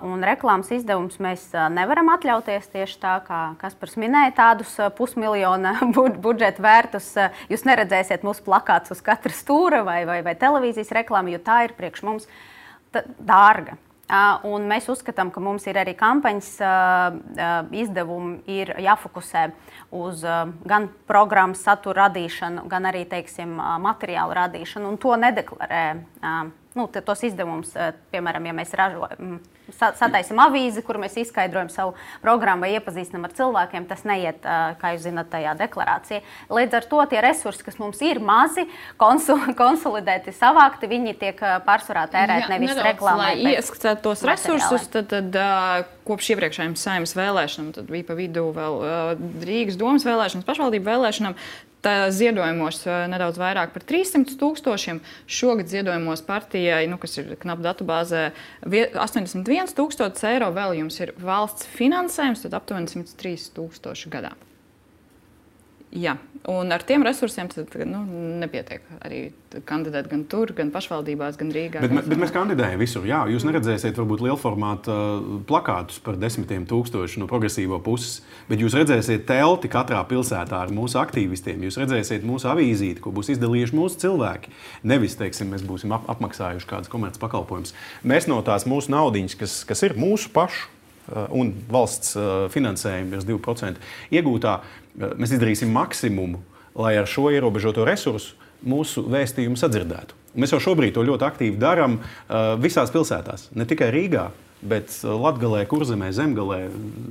Un reklāmas izdevumus mēs nevaram atļauties tieši tā, kā Kaspars minēja, tādus pusmiljona budžeta vērtus. Jūs neredzēsiet mūsu plakātus uz katra stūra vai, vai, vai televīzijas reklāmu, jo tā ir priekš mums dārga. Un mēs uzskatām, ka mums ir arī kampaņas izdevumi ir jāfokusē uz gan programmas satura radīšanu, gan arī, teiksim, materiālu radīšanu. Un to nedeklarē nu, tos izdevumus, piemēram, ja mēs ražojam, sataisim avīzi, kur mēs izskaidrojam savu programmu vai iepazīstinam ar cilvēkiem, tas neiet, kā jūs zināt, tajā deklarācijā. Līdz ar to tie resursi, kas mums ir mazi, konsul, konsolidēti, savākti, viņi tiek pārsvarā tērēt nevis reklāmai. Lai ieskatāt tos resursus, tad, tad kopš iepriekšējiem Saeimas vēlēšanām, tad bija pa vidu vēl Rīgas domas vēlēšanas, pašvaldību vēlēšanām, tā ziedojumos nedaudz vairāk par trīssimts tūkstošiem. Šogad ziedojumos partijai, nu, kas ir knap datubāzē, astoņdesmit viens tūkstotis eiro, vēl jums ir valsts finansējums, tad aptuveni simt trīs tūkstoši gadā. Jā, un ar tiem resursiem tad, nu, nepietiek arī kandidēt gan tur, gan pašvaldībās, gan Rīgā. Bet, bet mēs kandidējam visur. Jā, jūs neredzēsiet varbūt lielformāta plakātus par desmitiem tūkstošu no progresīvo puses, bet jūs redzēsiet telti katrā pilsētā ar mūsu aktīvistiem. Jūs redzēsiet mūsu avīzīti, ko būs izdalījuši mūsu cilvēki. Nevis, teiksim, mēs būsim ap apmaksājuši kādas komerces pakalpojumus. Mēs no tās mūsu naudiņas, kas, kas ir mūsu pašu un valsts finansējuma virs divi procenti iegūtā, mēs izdarīsim maksimumu, lai ar šo ierobežoto resursu mūsu vēstījumu sadzirdētu. Mēs jau šobrīd to ļoti aktīvi darām visās pilsētās, ne tikai Rīgā, bet Latgalē, Kurzemē, Zemgalē,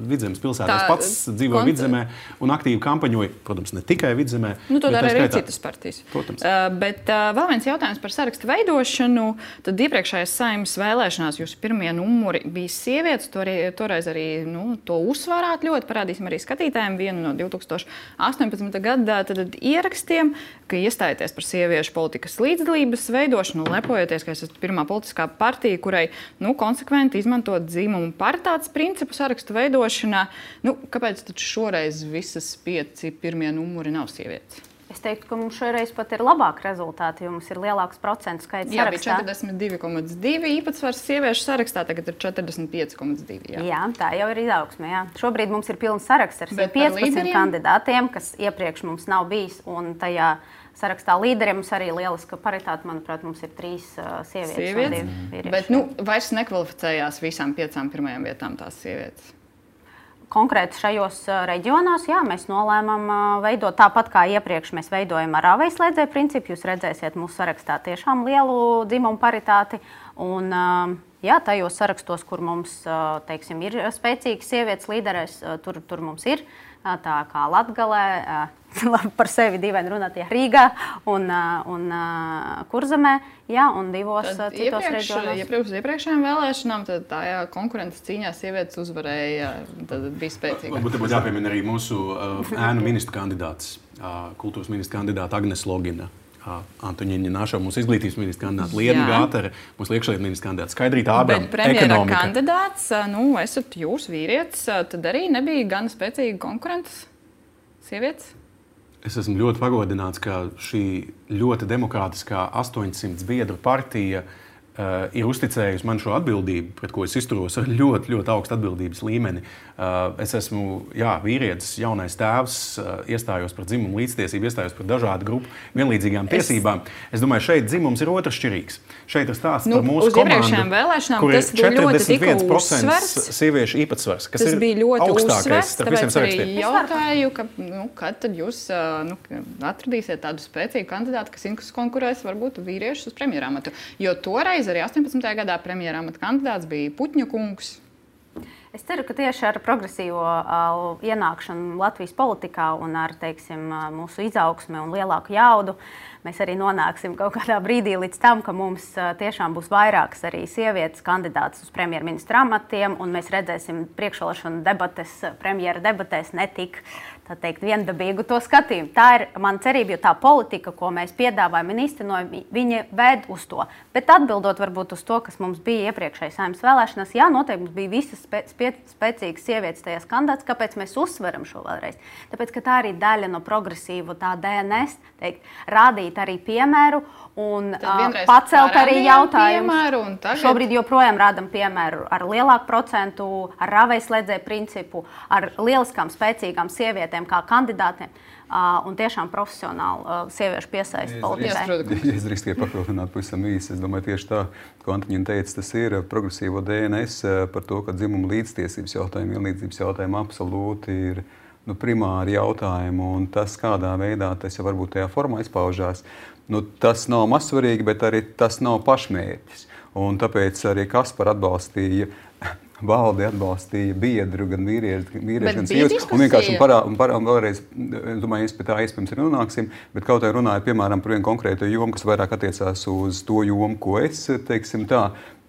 Vidzemes pilsētās Tā, pats dzīvoja kont... Vidzemē un aktīvi kampaņoja, protams, ne tikai Vidzemē. Nu, to dara arī skaitā... citas partijas. Protams. Uh, bet uh, vēl viens jautājums par sarakstu veidošanu. Tad iepriekšējās Saeimas vēlēšanās jūsu pirmie numuri bija sievietes. To arī, toreiz arī nu, to uzsvērāt ļoti. Parādīsim arī skatītājiem vienu no divi tūkstoši astoņpadsmitā gada tad ierakstiem, ka iestājaties par sieviešu politikas līdzdalības veidošanu, lepojoties, ka esat pirmā politiskā partija, kurai nu, konsekventi izmantot dzimumu paritātes principu sarakstu veidošanā. Nu, kāpēc tad šoreiz visas pieci pirmie numuri nav sievietes? Es teiktu, ka mums šoreiz pat ir labāki rezultāti, jo mums ir lielāks procentu skaits jā, sarakstā. Jā, bija četrdesmit divi komats divi īpatsvars sieviešu sarakstā, tagad ir četrdesmit pieci komats divi. Jā. jā, tā jau ir izaugsme. Jā. Šobrīd mums ir pilns saraksts ar piecpadsmit kandidātiem, kas iepriekš mums nav bijis, un tajā sarakstā līderiem mums arī lieliska paritāte. Manuprāt, mums ir trīs uh, sievietes, sievietes. un divi vīrieši. Bet nu, vairs nekvalificējās visām piecām pirmajām vietām tās sievietes. Konkrēti šajos reģionos, jā, mēs nolēmām veidot tāpat kā iepriekš mēs veidojam ar āvējslēdzēju principu. Jūs redzēsiet mūsu sarakstā tiešām lielu dzimumu paritāti. Un, jā, tajos sarakstos, kur mums, teiksim, ir spēcīgas sievietes līderes, tur, tur mums ir. Tā kā Latgalē, par sevi dīvaini runāt, ja Rīgā un, un Kurzemē, jā, un divos tad citos iepriekš, reģionos. Iepriekš iepriekšējām vēlēšanām tad tā jā, konkurences cīņā sievietes uzvarēja, tad bija spēcīga. Varbūt būtu jāpiemina arī mūsu uh, ēnu ministru kandidāts, uh, kultūras ministra kandidāta Agnes Logina. Antoņiņa Nāšava, mūsu izglītības ministra kandidāta, Liena Gātere, mūsu iekšlietu ministra kandidāta, Skaidrīta Ābrama, Bet premjera ekonomika. kandidāts, nu, esat jūs vīrietis, tad arī nebija gan spēcīga konkurences sievietes? Es esmu ļoti pagodināts, ka šī ļoti demokrātiskā astoņsimt biedru partija uh, ir uzticējusi man šo atbildību, pret ko es izturos ar ļoti, ļoti augstu atbildības līmeni. Uh, es esmu jā, vīrietis, jaunais tēvs, uh, iestājos par dzimumu līdztiesību, iestājos par dažādu grupu vienlīdzīgām tiesībām. Es, es domāju, šeit dzimums ir otršķirīgs. Šeit ir stāsts nu, par mūsu komandu, kur ir četrdesmit viens procents sieviešu īpatsvars, kas tas ir bija ļoti augstākais uzsvers, starp visiem sarakstiem. Tāpēc arī jautāju, ka, nu, kad tad jūs nu, atradīsiet tādu spēcīgu kandidātu, kas konkurēs varbūt vīriešus uz premjeramatu. Jo toreiz arī astoņpadsmitajā gadā premjeramata kandidāts bija Putņa kungs. Es ceru, ka tieši ar progresīvo uh, ienākšanu Latvijas politikā un ar teiksim, uh, mūsu izaugsmi un lielāku jaudu mēs arī nonāksim kaut kādā brīdī līdz tam, ka mums uh, tiešām būs vairākas arī sievietes kandidātas uz premjerministra amatiem, un mēs redzēsim priekšvēlēšanu debates, premjera debatēs netik tā teikt, viendabīgu to skatījumu. Tā ir mana cerība, jo tā politika, ko mēs piedāvājam un īstenojam, viņa ved uz to. Bet atbildot varbūt uz to, kas mums bija iepriekšējās Saeimas vēlēšanās, jā, noteikti mums bija visas spē spē spēcīgas sievietes tajās kandidātas. Kāpēc mēs uzsveram šo vēlreiz? Tāpēc, ka tā arī daļa no progresīvu tā D N S, teikt, rādīt arī piemēru un uh, pacelt arī jautājumus. Tagad... Šobrīd joprojām rādam piemēru ar lielāku procentu, ar āvējslēdzēju principu, ar lieliskām spēcīgām sievietēm kā kandidātiem uh, un tiešām profesionāli uh, sieviešu piesaisti politikai. Es drīkst tikai papildināt pavisam īsi. Es domāju, tieši tā, ko Antoņina teica, tas ir progresīvo D N S par to, ka dzimuma līdztiesības jautājumi, vienlīdzības jautājumi absolūti ir nu, primāri jautājumi, un tas, kādā veidā tas jau varbūt tajā formā izpaužās, nu, tas nav mazsvarīgi, bet arī tas nav pašmērķis. Un tāpēc arī Kaspar atbalstīja, valdi atbalstīja biedru, gan vīrieši, vīrieši gan sievietes. Un vienkārši un parā, un parā, un vēlreiz, es domāju, mēs pie tā iespējams arī runāksim, bet kaut kā runājot, piemēram, par vienu konkrētu jomu, kas vairāk attiecās uz to jomu, ko es, teiksim tā,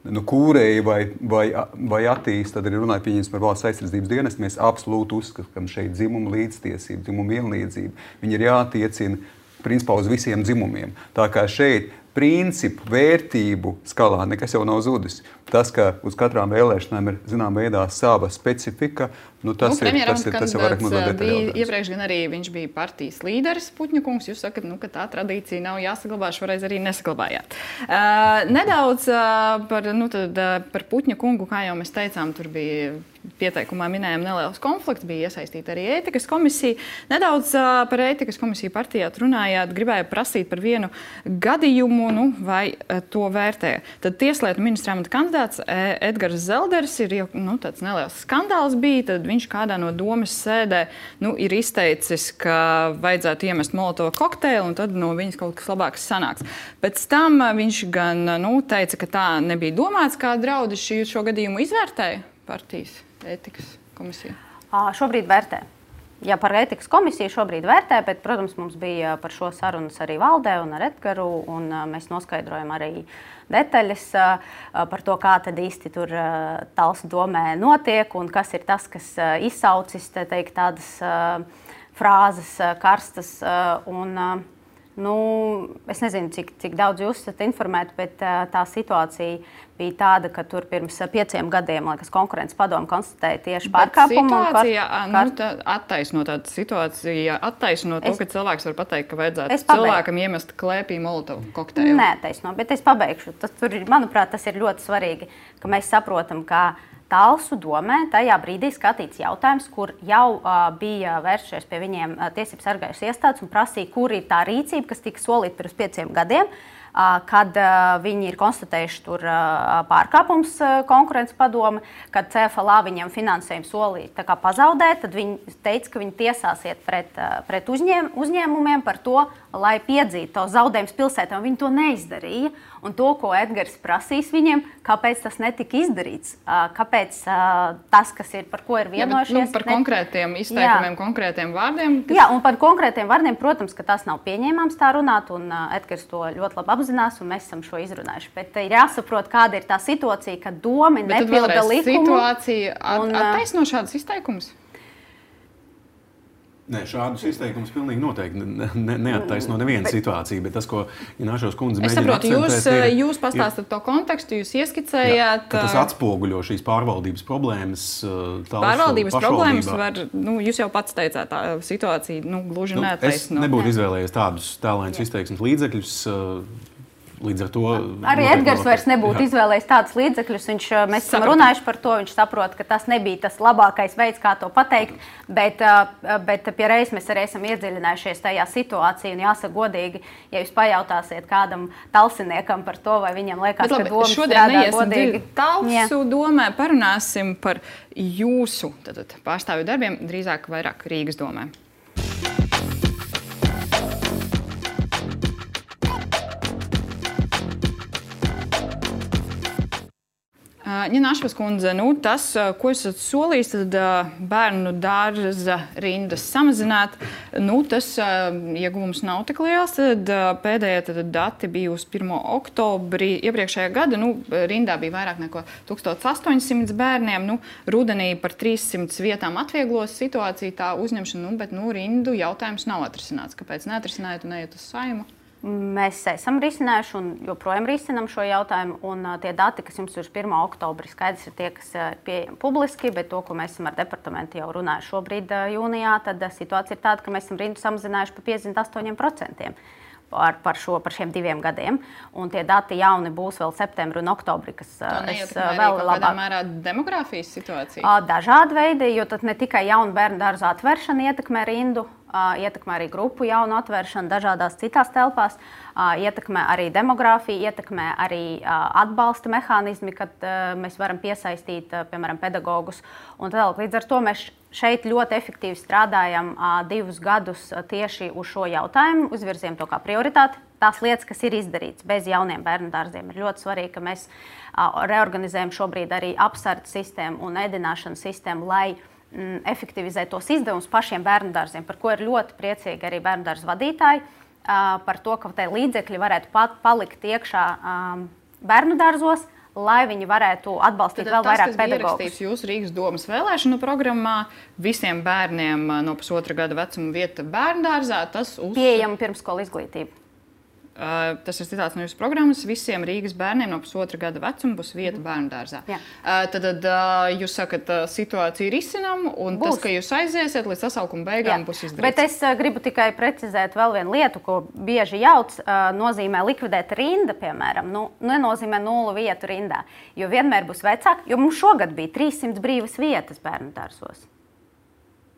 nu, kūrēju vai, vai, vai attīst, tad arī runāju pieņems par valsts aizsardzības dienestu, mēs absolūti uzskatām šeit dzimumu līdztiesību, dzimumu vienlīdzību. Viņi ir jātiecina principā uz visiem dzimumiem. Tā kā šeit principu, vērtību skalā nekas jau nav zudis. Tas, ka uz katrām vēlēšanām ir zinām veidā sava specifika, nu, tas, nu, ir, tas, ir, tas ir vairāk mazliet detaļā. Iepriekš gan arī viņš bija partijas līderis Puķņu kungs. Jūs sakat, nu, ka tā tradīcija nav jāsaglabā, šoreiz arī nesaglabājāt. Uh, nedaudz uh, par, nu, tad, uh, par Puķņu kungu, kā jau mēs teicām, tur bija pieteikumā minējām neliels konflikts, bija iesaistīta arī ētikas komisija. Nedaudz uh, par ētikas komisiju partijā runājāt, gribēju prasīt par vienu gadījumu, nu, vai uh, to vērtē. Tad tieslietu ministra amata kandidāts Edgars Zelders ir jau nu, tāds neliels skandāls bija, tad viņš kādā no domas sēdē nu, ir izteicis, ka vajadzētu iemest Molotova kokteili un tad no viņas kaut kas labāks sanāks. Pēc tam viņš gan nu, teica, ka tā nebija domāts, kā draudi šī, šo gadījumu izvērtēja partijas ētikas komisija. Šobrīd vērtē. Ja par ētikas komisiju šobrīd vērtē, bet, protams, mums bija par šo sarunas arī valdē un ar Edgaru, un mēs noskaidrojam arī detaļas par to, kā tad īsti tur Talsu domē notiek un kas ir tas, kas izsaucis, te teikt, tādas frāzes karstas. Un, nu, es nezinu, cik, cik daudz jūs esat informēti, bet tā situācija bija tāda, ka tur pirms pieciem gadiem, liekas, konkurences padome konstatēja tieši pārkāpumu. Situācija kar... nu, tā, attaisno tādu situāciju, attaisno to, es... ka cilvēks var pateikt, ka vajadzētu cilvēkam iemest klēpī Molotovu kokteili. Nē, taisno, bet es pabeigšu. Tas, tur, manuprāt, tas ir ļoti svarīgi, ka mēs saprotam, ka Talsu domē tajā brīdī skatīts jautājums, kur jau uh, bija vēršies pie viņiem uh, tiesības sargājušas iestādes un prasīja, kur ir tā rīcība, kas tika solīta pirms pieciem gadiem, uh, kad uh, viņi ir konstatējuši tur uh, pārkāpums uh, konkurences padome, kad C F L A viņiem finansējumu solīja tā kā pazaudēt, tad viņi teica, ka viņi tiesāsiet pret, uh, pret uzņēm, uzņēmumiem par to, lai piedzītu to zaudējumus pilsētām. Viņi to neizdarīja. Un to, ko Edgars prasīs viņiem, kāpēc tas netika izdarīts, kāpēc tas, kas ir, par ko ir vienojušies. Jā, bet, nu, par ne... konkrētiem izteikumiem, jā. Konkrētiem vārdiem. Kas... Jā, un par konkrētiem vārdiem, protams, ka tas nav pieņēmams tā runāt, un Edgars to ļoti labi apzinās, un mēs esam šo izrunājuši. Bet ir jāsaprot, kāda ir tā situācija, kad doma nepilda likumu. Situācija at, un, attaisno šādus izteikumus? Nē, šādus izteikumus pilnīgi noteikti ne, ne, neattaisno neviena situācija, bet tas, ko Ināšos kundze mēģina akcentēt, jūs, ir... Jūs pastāstat ir, to kontekstu, jūs ieskicējāt... Jā, tas atspoguļo šīs pārvaldības problēmas. Pārvaldības problēmas var, nu, jūs jau pats teicāt, tā situācija, nu, gluži nu, neattaisno. Es nebūtu izvēlējies tādus tēlainus izteiksmes līdzekļus. Līdz ar to... Arī Edgars vairs nebūtu izvēlējis tādus līdzekļus. Viņš, mēs esam runājuši par to, viņš saprot, ka tas nebija tas labākais veids, kā to pateikt, bet, bet pie reizes mēs arī esam iedziļinājušies tajā situācijā, un jāsaka godīgi, ja jūs pajautāsiet kādam talsiniekam par to, vai viņam liekas, bet, labi, ka doma strādā godīgi. Talsu domē parunāsim par jūsu tātad, pārstāvju darbiem, drīzāk vairāk Rīgas domē. Ņināšvas kundze, nu, tas, ko esat solījis, tad bērnu dārza rindas samazināt, nu, tas ieguvums nav tik liels. Tad pēdējie tad dati bija uz pirmo oktobri iepriekšējā gada. Nu, rindā bija vairāk nekā tūkstoš astoņi simti bērniem. Nu, rudenī par trīs simti vietām atvieglos situāciju tā uzņemšana, nu, bet nu, rindu jautājums nav atrisināts. Kāpēc neatrisinājāt un neiet uz Saimu? Mēs esam risinājuši un joprojām risinām šo jautājumu. Un, uh, tie dati, kas jums ir uz pirmo oktobri, skaidrs ir tie, kas ir uh, pieejami publiski, bet to, ko mēs esam ar departamentu jau runājuši šobrīd uh, jūnijā, tad uh, situācija ir tāda, ka mēs esam rindu samazinājuši par piecdesmit astoņiem procentiem par, par, šo, par šiem diviem gadiem. Un tie dati jauni būs vēl septembri un oktobri, kas uh, es, uh, vēl labāk. Kādā mērā demogrāfijas situācija? Uh, dažādi veidi, jo tad ne tikai jaunu bērnu dārzu atvēršana ietekmē rindu, ietekmē arī grupu jaunu atvēršanu dažādās citās telpās, ietekmē arī demogrāfiju, ietekmē arī atbalsta mehānismi, kad mēs varam piesaistīt, piemēram, pedagogus. Un tālāk, līdz ar to mēs šeit ļoti efektīvi strādājam divus gadus tieši uz šo jautājumu, uzvirzījām to kā prioritāti. Tās lietas, kas ir izdarītas bez jauniem bērnu dārziem, ir ļoti svarīgi, ka mēs reorganizējam šobrīd arī apsardzes sistēmu un ēdināšanas sistēmu, lai mm, efektivizētu tos izdevumus pašiem bērnu dārziem, par ko ir ļoti priecīgi arī bērnu dārzu vadītāji, par to, ka tie līdzekļi varētu pat palikt iekšā bērnu dārzos, lai viņi varētu atbalstīt Tad vēl tas, vairāk pedagogus. Tas, kas bija jūsu Rīgas domas vēlēšanu programmā, visiem bērniem no pusotra gada vecuma vieta bērnu dārzā, tas uz... Pieejama pirmskola izglītība. Uh, tas ir citāts no jūsu programmas. Visiem Rīgas bērniem no pusotra gada vecuma būs vieta bērnu dārzā. Uh, tad uh, jūs sakat, uh, situācija ir izcinama, un būs. Tas, ka jūs aiziesiet līdz sasaukuma beigām, Jā. Būs izdarīts. Bet es uh, gribu tikai precizēt vēl vienu lietu, ko bieži jauc, uh, nozīmē likvidēt rinda, piemēram. Nu, nenozīmē nullu vietu rindā, jo vienmēr būs vecāki, jo mums šogad bija trīssimts brīvas vietas bērnu dārzos.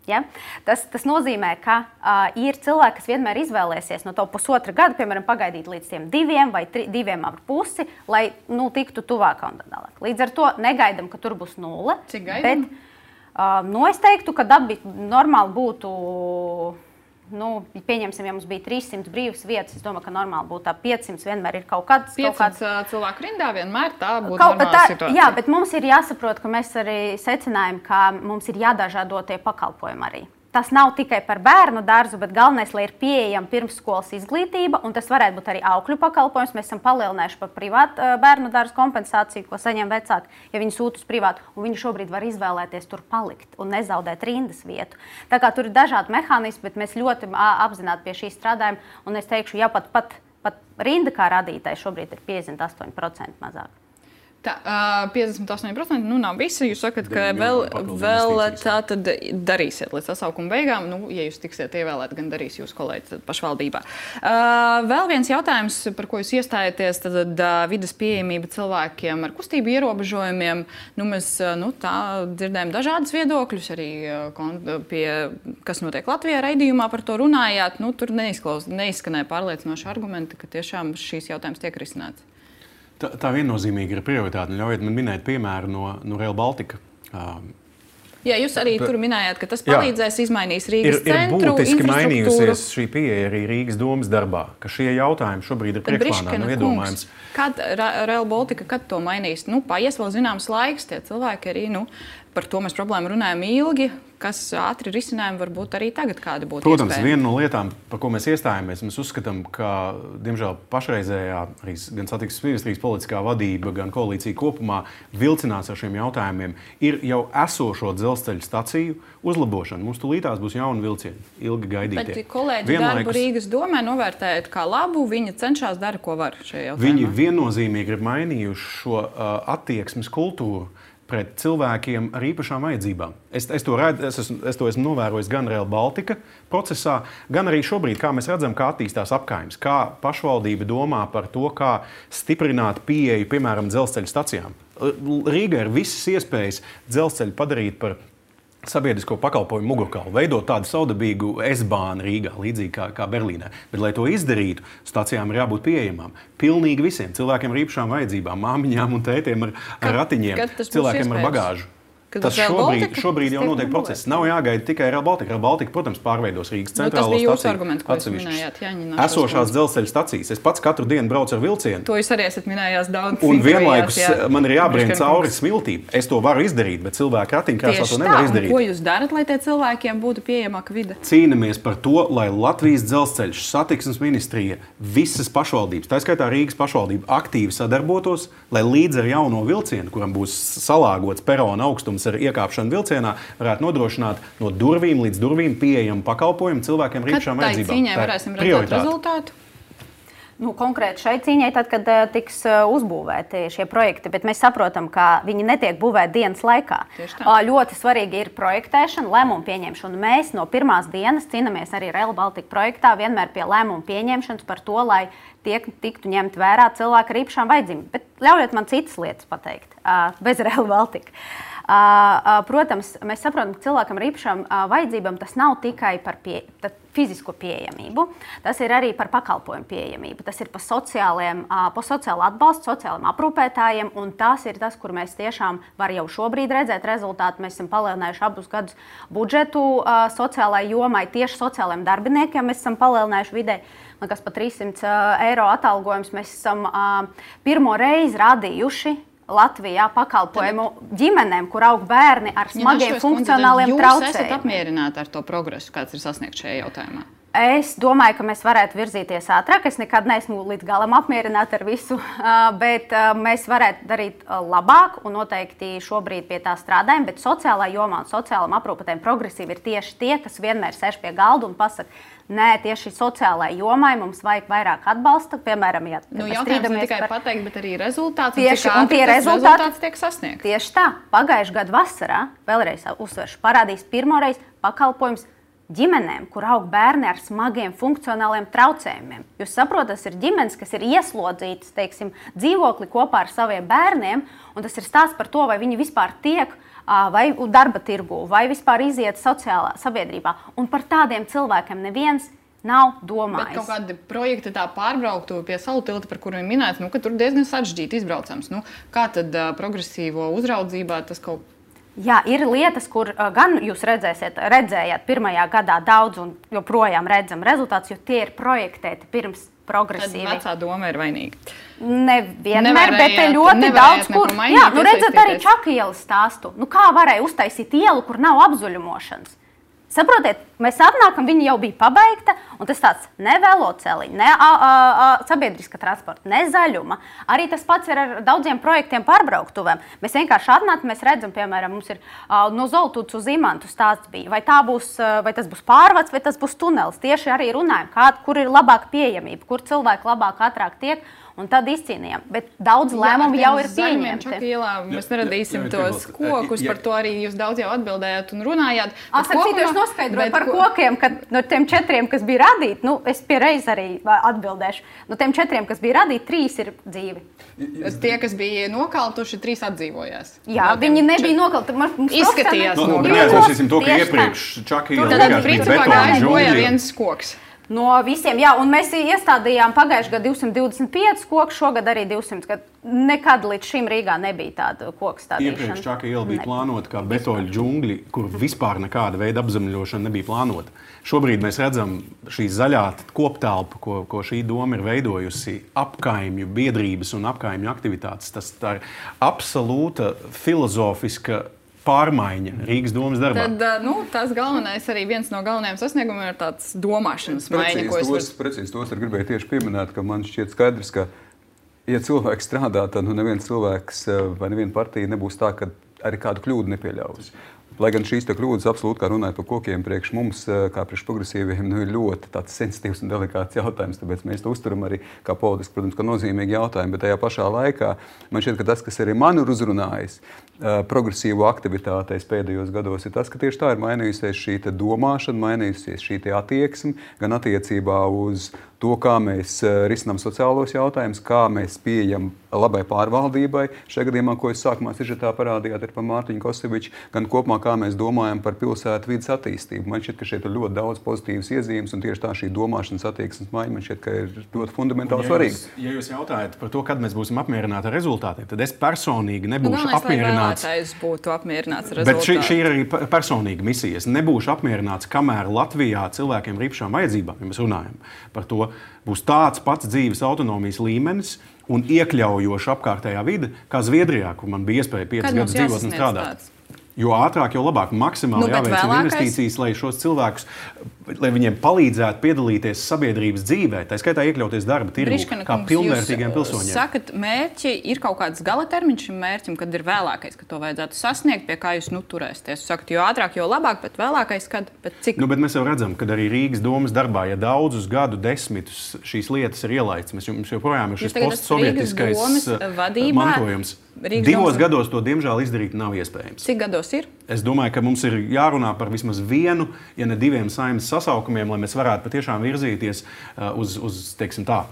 Ja? Tas, tas nozīmē, ka uh, ir cilvēki, kas vienmēr izvēlēsies no to pusotra gada, piemēram, pagaidīt līdz tiem diviem vai tri, diviem ar pusi, lai nu, tiktu tuvāk un tā tālāk. Līdz ar to negaidam, ka tur būs nulle. Cik gaidam? Bet, uh, nu, es teiktu, ka dabi normāli būtu, nu, pieņemsim, ja mums bija trīssimts brīvas vietas, es domāju, ka normāli būtu tā piecsimt vienmēr ir kaut kāds... piecsimt cilvēku rindā vienmēr tā būtu kaut, normāla tā, situācija. Jā, bet mums ir jāsaprot, ka mēs arī secinājam, ka mums ir jādažādo tie pakalpojumi arī. Tas nav tikai par bērnu dārzu, bet galvenais, lai ir pieejama pirmsskolas izglītība, un tas varētu būt arī aukļu pakalpojums. Mēs esam palielinājuši par privātu bērnu dārzu kompensāciju, ko saņem vecāki, ja viņi sūta uz privātu, un viņi šobrīd var izvēlēties tur palikt un nezaudēt rindas vietu. Tā kā tur ir dažādi mehānismi, bet mēs ļoti apzināti pie šī strādājam, un es teikšu, ja pat, pat, pat rinda kā radītāji šobrīd ir piecdesmit astoņi procenti mazāk. Tā, uh, piecdesmit astoņi procenti nu nav visi. Jūs sakat, ka vēl, vēl tā tad darīsiet līdz sasaukuma beigām. Nu, ja jūs tiksiet ievēlēt, gan darīs jūsu kolēģi pašvaldībā. Uh, vēl viens jautājums, par ko jūs iestājaties, tad uh, vides pieejamība cilvēkiem ar kustību ierobežojumiem. Nu, mēs uh, nu, tā dzirdējam dažādas viedokļus, arī uh, pie, kas notiek Latvijā raidījumā par to runājāt. Nu, tur neizskanēja pārliecinoši argumenti, ka tiešām šīs jautājums tiek risināts. Tā, tā viennozīmīgi ir prioritāte. Ļaujiet man minēt piemēru no, no Rail Baltica. Um, Jā, jūs arī tur minējāt, ka tas palīdzēs jā, izmainīt Rīgas ir, centru, ir būtiski mainījusies šī pieeja arī Rīgas domas darbā, ka šie jautājumi šobrīd ir priekšplānā, nu iedomājams. Kad Rail Baltica, kad to mainīs? Nu, paies vēl zināms laiks, tie cilvēki arī, nu, par to mēs problēmu runājam ilgi, kas ātri risinājumi varbūt arī tagad kādi būtu Protams, iespējami. Viena no lietām, par ko mēs iestājamies, mēs uzskatām, ka, diemžēl, pašreizējā arī gan satiksmes ministrijas politiskā vadība, gan koalīcija kopumā vilcinās ar šiem jautājumiem, ir jau esošo dzelzceļa staciju uzlabošana. Mums tūlītās būs jauni vilcieni, ilgi gaidītie. Bet kolēģi Vienlaikus, darbu Rīgas domē novērtējat kā labu, viņi cenšas dara, ko var šajā jautājumā. Viņi viennozīmīgi ir mainījuši šo uh, attieksmes kultūru pret cilvēkiem ar īpašām vajadzībām. Es, es, to redzu, es, esmu, es to esmu novērojis gan Rail Baltica procesā, gan arī šobrīd, kā mēs redzam, kā attīstās apkaimes, kā pašvaldība domā par to, kā stiprināt pieeju, piemēram, dzelzceļa stacijām. Rīgā ir visas iespējas dzelzceļu padarīt par sabiedrisko pakalpojumu mugurkaulu, veidot tādu saudabīgu S-bānu Rīgā, līdzīgi kā, kā Berlīnē. Bet, lai to izdarītu, stacijām ir jābūt pieejamām pilnīgi visiem cilvēkiem ar īpašām vajadzībām, māmiņām un tētiem ar, ar ratiņiem, cilvēkiem ar bagāžu. Kad Tas šobrīd, šobrīd jau notiek process. Nav jāgaida tikai Rail Baltica. Rail Baltica, protams, pārveidos Rīgas centrālo nu, staciju atsevišķas esošās dzelzceļa stacijas. Es pats katru dienu braucu ar vilcienu. To jūs arī esat minējās daudz. Un vienlaikus jā. man ir jābrien cauri smiltīm. Es to varu izdarīt, bet cilvēki ratiņkrēslā to nevar izdarīt. Ko jūs darat, lai tie cilvēkiem būtu pieejamāka vide? Cīnamies par to, lai Latvijas dzelzceļš, satiksmes ministrija, visas pašvaldības, tā skaitā Rīgas pašvaldība, aktīvi sadarbotos, lai līdz ar jauno vilcienu, kuram būs salāgots perona augstums ar iekāpšanu vilcienā, varētu nodrošināt no durvīm līdz durvīm pieejamu pakalpojumu cilvēkiem ar īpašām vajadzībām. Kad tai cīņai varēsim redzēt rezultātu? Nu, konkrēti šai cīņai, tad, kad uh, tiks uh, uzbūvēti šie projekti, bet mēs saprotam, ka viņi netiek būvēti dienas laikā. Uh, ļoti svarīgi ir projektēšana, lēmumu pieņemšana. Mēs no pirmās dienas cīnāmies arī Rail Baltica projektā vienmēr pie lēmumu pieņemšanas par to, lai tiek tiktu ņemt vērā cilvēki ar īpašām vajadzībām. Bet ļaujiet man citas lietas pateikt, uh, bez Rail Baltica. Protams, mēs saprotam, ka cilvēkam ar īpašām vajadzībām tas nav tikai par pie, fizisko pieejamību, tas ir arī par pakalpojumu pieejamību. Tas ir par sociāliem, par sociālu atbalstu, sociāliem aprūpētājiem, un tas ir tas, kur mēs tiešām var jau šobrīd redzēt rezultātu. Mēs esam palielinājuši abus gadus budžetu sociālai jomai, tieši sociālajiem darbiniekiem mēs esam palielinājuši vidē. Man kas par trīs simti eiro atalgojums mēs esam pirmo reizi radījuši Latvijā pakalpojumu ģimenēm, kur aug bērni ar smagiem ja funkcionāliem traucējumiem. Jūs esat apmierināti ar to progresu, kāds ir sasniegts šajā jautājumā? Es domāju, ka mēs varētu virzīties ātrāk. Es nekad neesmu līdz galam apmierināta ar visu, bet mēs varētu darīt labāk un noteikti šobrīd pie tā strādājam. Bet sociālā jomā un sociālam aprūpētājiem progresīvi ir tieši tie, kas vienmēr sēž pie galda un pasaka, nē, tieši sociālajai jomai mums vajag vairāk atbalsta. Piemēram, ja nu, jautājums ne tikai par... pateikt, bet arī rezultāts. Tieši, un, un tie rezultāti, rezultāts tiek sasniegts. Tieši tā. Pagājušajā gadu vasarā, vēlreiz uzsveršu, parādīs pirmoreiz pakalpojums ģimenēm, kur aug bērni ar smagiem funkcionāliem traucējumiem. Jūs saprotat, tas ir ģimenes, kas ir ieslodzītas, teiksim, dzīvokli kopā ar saviem bērniem, un tas ir stāsts par to, vai viņi vispār tiek vai darba tirgu, vai vispār iziet sociālā sabiedrībā. Un par tādiem cilvēkiem neviens nav domājis. Bet kaut kādi projekti tā pārbrauktu pie Salu tilta, par kuriem minēts, nu, ka tur diezgan sarežģīti izbraucams. Nu, kā tad uh, progresīvo uzraudzībā tas kaut Jā, ir lietas, kur uh, gan jūs redzēsiet, redzējāt pirmajā gadā daudz un joprojām redzam rezultātus, jo tie ir projektēti pirms progresīvi. Tad vecā doma ir vainīga. Nevienmēr, bet te ļoti daudz, kur... Jā, nu redzat arī Čaka ielas stāstu. Nu kā varēja uztaisīt ielu, kur nav apzuļumošanas? Saprotiet, mēs atnākam, viņa jau bija pabeigta, un tas tāds ne veloceliņa, ne a, a, a, sabiedriska transporta, ne zaļuma. Arī tas pats ir ar daudziem projektiem pārbrauktuvēm. Mēs vienkārši atnākam, mēs redzam, piemēram, mums ir a, no Zoltūts uz Imantu stāsts bija. Vai, tā būs, vai tas būs pārvads, vai tas būs tunelis. Tieši arī runājam, kā, kur ir labāka pieejamība, kur cilvēki labāk ātrāk tiek. Un tad izcīnījām. Bet daudz lēmumu jau ir pieņemti. Čaka ielā mēs neradīsim jā, jā, tos kokus, jā. Par to arī jūs daudz jau atbildējāt un runājāt. Starp citu, es noskaidroju par ko... kokiem, ka no tiem četriem, kas bija radīti, nu, es pie reiz arī atbildēšu, no tiem četriem, kas bija radīti, trīs ir dzīvi. Tie, kas bija nokaltuši, trīs atdzīvojās. Jā, no viņi nebija nokalti. Izskatījās. No, no, neatcerēsim to, ka iepriekš Čaka iela vienkārši bija betona džungļa. Viens koks. No visiem, jā, un mēs iestādījām pagājušajā gadā divsimt divdesmit pieci koku, šogad arī divsimt. Kad nekad līdz šim Rīgā nebija tāda koku stādīšana. Iepriekš Čaka iela bija plānota kā betoļu džungļi, kur vispār nekāda veida apzemļošana nebija plānota. Šobrīd mēs redzam šī zaļā koptelpa, ko, ko šī doma ir veidojusi, apkaimju biedrības un apkaimju aktivitātes. Tas tā ir absolūta filozofiska pārmaiņa Rīgas domas darbā. Tad, nu, tas galvenais arī viens no galvenajiem sasniegumiem ir tāds domāšanas maiņa, ko es... Tos, var... Precīzi tos ar gribēju tieši pieminēt, ka man šķiet skaidrs, ka, ja cilvēks strādā, tad nu neviens cilvēks vai neviena partija nebūs tā, ka arī kādu kļūdu nepieļaus. Lai gan šīs kļūdas absolūti, kā runājot par kokiem, priekš mums, kā priekš progresīviem, nu, ir ļoti tāds sensitīvs un delikāts jautājums, tāpēc mēs to uzturam arī kā politiski, protams, kā nozīmīgi jautājumi, bet tajā pašā laikā man šķiet, ka tas, kas arī man ir uzrunājis progresīvo aktivitātēs pēdējos gados, ir tas, ka tieši tā ir mainījusies šī domāšana, mainījusies šī attieksme, gan attiecībā uz to, kā mēs risinām sociālos jautājumus, kā mēs pieejam labai pārvaldībai. Šajā gadījumā, ko jūs sākumā sižetā parādījāt, ir par Mārtiņu Koseviču, gan kopumā, kā mēs domājam par pilsētu vidas attīstību. Man šķiet, ka šeit ir ļoti daudz pozitīvas iezīmes, un tieši tā šī domāšanas attieksmes maiņa, man šķiet, ka ir ļoti fundamentāli ja svarīga. Jūs, ja jūs jautājat par to, kad mēs būsim apmierināti ar rezultātiem, tad es personīgi nebūšu nu, apmierināts. Būtu apmierināts ar rezultātiem. Bet šī, šī ir arī personīga misija. Es nebūšu apmierināts, kamēr Latvijā cilvēkiem ar īpašām vajadzībām, ja mēs runājam par to, būs tāds pats dzīves autonomijas līmenis un iekļaujoša apkārtējā vide, kā Zviedrijā, kur man bija iespēja piecus gadus dzīvot un strādāt. Tāds? Jo ātrāk, jo labāk, maksimāli nu, jāveicina vēlākais... investīcijas, lai šos cilvēkus, lai viņiem palīdzētu piedalīties sabiedrības dzīvē, tā skaitā iekļauties darba tirgū, kā pilnvērtīgiem pilsoņiem. Sakat, mērķi ir kaut kāds gala termiņš šim mērķim, kad ir vēlākais, ka to vajadzētu sasniegt, pie kā jūs nu turēsties. Sakat, jo ātrāk, jo labāk, bet vēlākais, kad, bet cik? Nu, bet mēs jau redzam, ka arī Rīgas domas darbā, ja daudzus gadu desmitus šīs lietas ir ielaistas, mēs jums joprojām ir šis postsovietiskais mantojums. Rīgas Divos domas... gados to, diemžēl, izdarīt nav iespējams. Cik gados ir? Es domāju, ka mums ir jārunā par vismaz vienu, ja ne diviem saeimas sasaukumiem, lai mēs varētu patiešām virzīties uh, uz, uz, teiksim tā,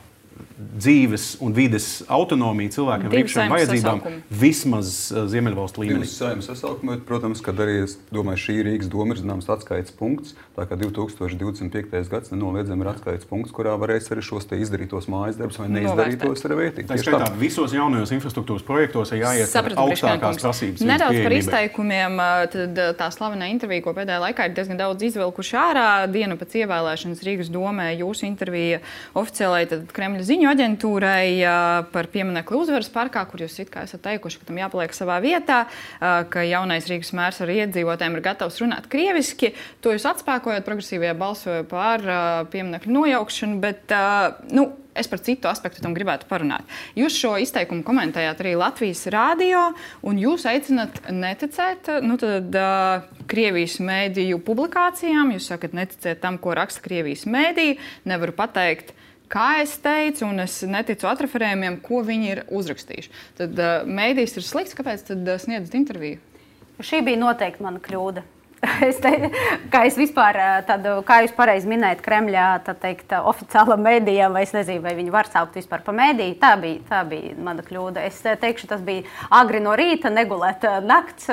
dzīves un vides autonomiju cilvēkiem ar īpašām vajadzībām vismaz Ziemeļvalstu līmenī. Pirms Saeimas sasaukuma, protams, kad arī, es domāju, šī Rīgas doma ir zināms atskaites punkts, tā kā divi tūkstoši divdesmit piektais gads nenoliedzami ir atskaites punkts, kurā varēs arī šos te izdarītos mājas darbus vai neizdarītos arī vērtīgi. Tā skaitā visos jaunajos infrastruktūras projektos ir jāiet ar augstākās prasības. Nedaudz par izteikumiem, tad tā slavenā intervija, ko pēdējā laikā ir diezgan daudz izvilkuši ārā, dienu pēc ievēlēšanas Rīgas domē, jūsu intervija oficiālai tad Kremļa ziņu aģentūrai par pieminekli Uzvaras parkā, kur jūs it kā esat teikuši, ka tam jāpaliek savā vietā, ka jaunais Rīgas mērs ar iedzīvotājiem ir gatavs runāt krieviski. To jūs atspēkojat, progresīvie balsoja par pieminekļu nojaukšanu, bet, nu, es par citu aspektu tam gribētu parunāt. Jūs šo izteikumu komentējāt arī Latvijas rādio, un jūs aicinat neticēt, nu, tad, uh, Krievijas mēdīju publikācijām. Jūs sakat, neticēt tam, ko raksta Krievijas mēdīji. Nevaru pateikt, kā es teicu, un es neticu atreferējumiem, ko viņi ir uzrakstījuši. Tad uh, mēdījis ir slikts, kāpēc tad uh, sniedzat interviju? Šī bija noteikti mana kļūda. Es te, kā es vispār, tādu, kā jūs pareizi minējat, Kremļā, tā teikt, oficiālam mēdījam, vai es nezinu, vai viņi var saukt vispār pa mēdīju, tā bija, tā bija mana kļūda. Es teikšu, tas bija agri no rīta, negulēt nakts,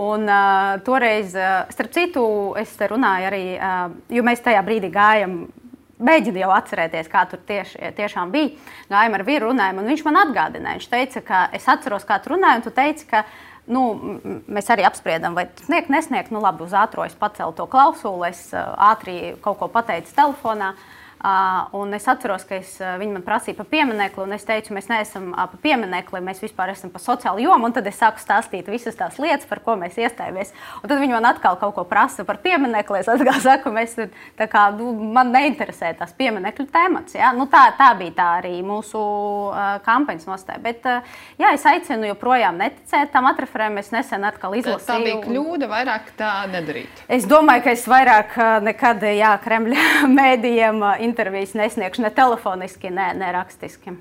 un uh, toreiz, starp citu, es te runāju arī, uh, jo mēs tajā brīdī gājam, mēģinu jau atcerēties, kā tur tieši, tiešām bija, gājam ar vīru runājumu, un viņš man atgādināja, viņš teica, ka es atceros, kā tu runāji, un tu teici, ka Nu, mēs arī apspriedām, vai sniegt, nesniegt. Nu, labi, uz ātro es pacēlu to klausuli, es ātri kaut ko pateicu telefonā. Uh, un es atceros, ka es, uh, viņi man prasīja par pieminekli, un es teicu, mēs neesam uh, par pieminekli, mēs vispār esam par sociālu jomu, un tad es sāku stāstīt visas tās lietas, par ko mēs iestājāmies. Un tad viņi man atkal kaut ko prasa par pieminekli, es atkal saku, mēs, tā kā, nu, man neinteresē tās pieminekļu temats. Ja? Nu, tā, tā bija tā arī mūsu uh, kampaņas nostāja. Bet, uh, jā, es aicinu joprojām neticēt tam atreferēm, es nesen atkal izlasīju. Tā bija kļūda vairāk tā nedarīt. Es domāju, ka es vairāk uh, nekad, jā, Kremļa mēdījiem uh, intervijas nesniegšu ne telefoniski, ne, ne rakstiski.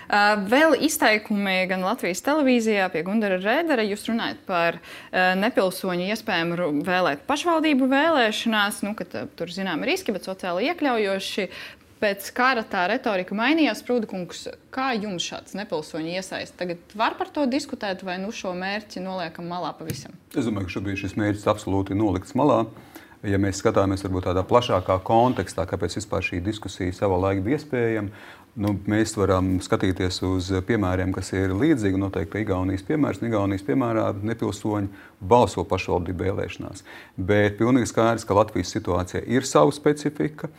Uh, vēl izteikumi gan Latvijas televīzijā pie Gundara Rēdera. Jūs runājat par uh, nepilsoņu iespējamu vēlēt pašvaldību vēlēšanās, nu, ka tur zinām riski, bet sociāli iekļaujoši. Pēc kara tā retorika mainījās. Prūda kungs, kā jums šāds nepilsoņu iesaist? Tagad var par to diskutēt vai nu šo mērķi noliekam malā pavisam? Es domāju, ka šobrīd šis mērķis absolūti nolikts malā. Ja mēs skatāmies varbūt tādā plašākā kontekstā, kāpēc vispār šī diskusija savā laikā bija iespējama, nu, mēs varam skatīties uz piemēriem, kas ir līdzīgi. Noteikti Igaunijas piemērs, Igaunijas piemērā nepilsoņi balso pašvaldību vēlēšanās. Bet pilnīgi skaidrs, ka Latvijas situācija ir sava specifika.